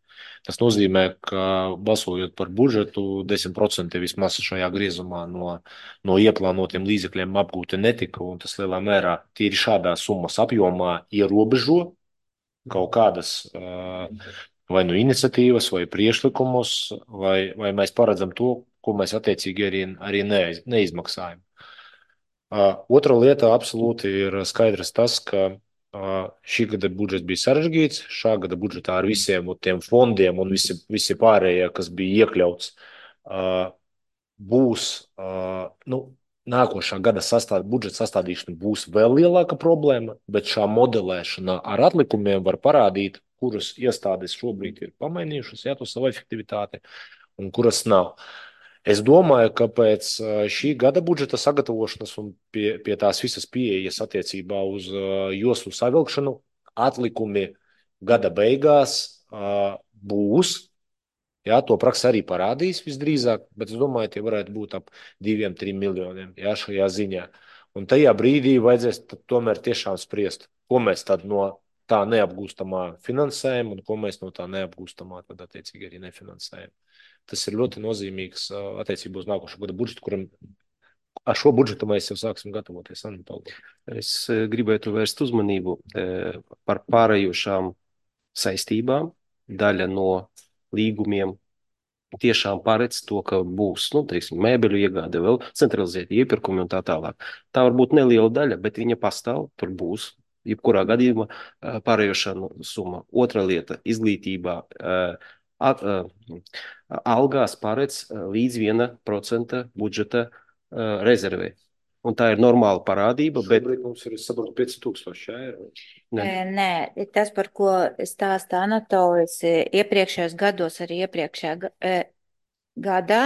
Tas nozīmē, ka balsojot par budžetu, desmit procenti vismaz šajā griezumā no, no ieplānotiem līdzekļiem apgūti netika, un tas lielā mērā tīri šādā summas apjomā ierobežo kaut kādas uh, vai nu iniciatīvas, vai priekšlikumus, vai, vai mēs paredzam to, ko mēs attiecīgi arī, arī neiz, neizmaksājam. Uh, otra lieta absolūti ir skaidrs tas, ka uh, šī gada budžets bija sarežģīts, šā gada budžetā ar visiem tiem fondiem un visi, visi pārējie, kas bija iekļauts, uh, būs, uh, nu, nākošā gada sastād, budžeta sastādīšana būs vēl lielāka problēma, bet šā modelēšana ar atlikumiem var parādīt, kuras iestādes šobrīd ir pamainījušas, jā, to savu efektivitāti, un kuras nav. Es domāju, ka pēc šī gada budžeta sagatavošanas un pie, pie tās visas pieejas attiecībā uz uh, joslu savilkšanu atlikumi gada beigās uh, būs. Jā, to praksa arī parādīs visdrīzāk, bet es domāju, tie varētu būt ap diviem, trim miljoniem, jā, šajā ziņā. Un tajā brīdī vajadzēs tomēr tiešām spriest, ko mēs tad no tā neapgūstamā finansējam un ko mēs no tā neapgūstamā tad attiecīgi arī nefinansējam. Tas ir ļoti nozīmīgs attiecībā uz nākošo gada budžetu, kuram ar šo budžetu mēs jau sāksim gatavoties. Es gribētu vērst uzmanību par pārējošām saistībām. Daļa no līgumiem tiešām paredz to, ka būs, nu, teiksim, mēbeļu iegāde, vēl centralizēti iepirkumi un tā tālāk. Tā var būt neliela daļa, bet viņa pastāv, tur būs, jebkurā gadījumā pārējošā summa. Otra lieta, izglītībā, algās paredz līdz viena procenta budžeta rezervē. Un tā ir normāla parādība, bet... Šobrīd mums ir saprot pieci tūkstoši eiro. Nē. Nē, tas, par ko stāsta Anatolijs, iepriekšējos gados, arī iepriekšējā gadā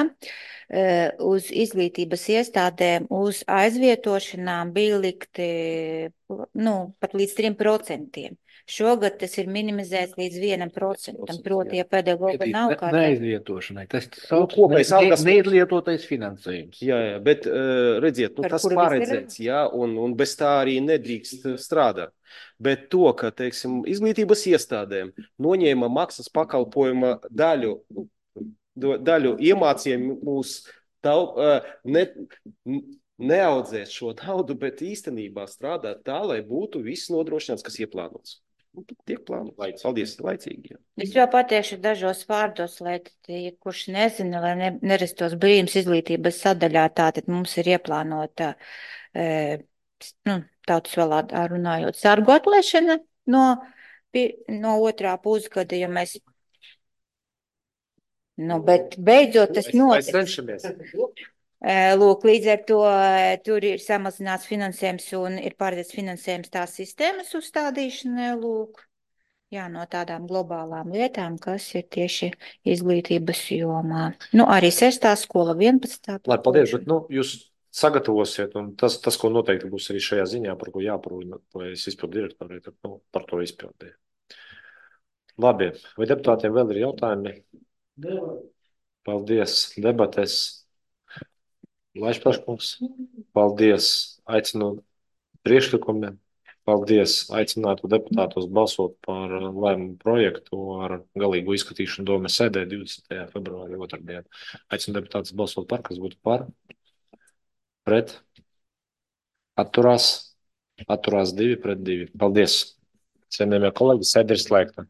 uz izglītības iestādēm, uz aizvietošanām bija likti, nu, pat līdz trim procentiem. Šogad tas ir minimizēts līdz vienam procentam, proti, ja pedagoga nav kā... Neaizvietošanai, tas sauc ne, neizlietotais finansējums. Jā, jā, bet redziet, nu, tas paredzēts, jā, un, un bez tā arī nedrīkst strādāt. Bet to, ka, teiksim, izglītības iestādēm noņēma maksas pakalpojuma daļu, daļu iemācījumu mūs taup, ne, neaudzēt šo naudu, bet īstenībā strādāt tā, lai būtu viss nodrošināts, kas ieplānots. Tiek plānots. Paldies, laicīgi. Jā. Es jau pateikšu dažos vārdos, lai tie, kurš nezina, lai ne, nerastos brīnums izglītības sadaļā, tātad mums ir ieplānota, e, nu, tautas valodā runājot, sargu atlaišana no, no otrā pusgada, ja mēs, nu, bet beidzot tas notiks. Lūk, līdz ar to tur ir samazināts finansējums un ir paredzēts finansējums tās sistēmas uzstādīšanai, lūk, jā, no tādām globālām lietām, kas ir tieši izglītības jomā. Nu, arī sestā skola, vienpadsmitā Lai, paldies, bet, nu, jūs sagatavosiet, un tas, tas, ko noteikti būs arī šajā ziņā, par ko jāprūna, vai es izpildu direktori, tad, nu, par to izpildīju. Labi, vai deputātiem vēl ir jautājumi? Paldies, debates. Laišpaškungs, paldies, aicinu priekšlikumiem, paldies, aicinātu deputātos balsot par lēmumu projektu ar galīgu izskatīšanu Domes sēdē divdesmitajā februārī otrdien. Aicinu deputātus balsot par, kas būtu par, pret, atturās, atturās divi pret divi. Paldies, cienījamie kolēģi, sēde ir slēgta.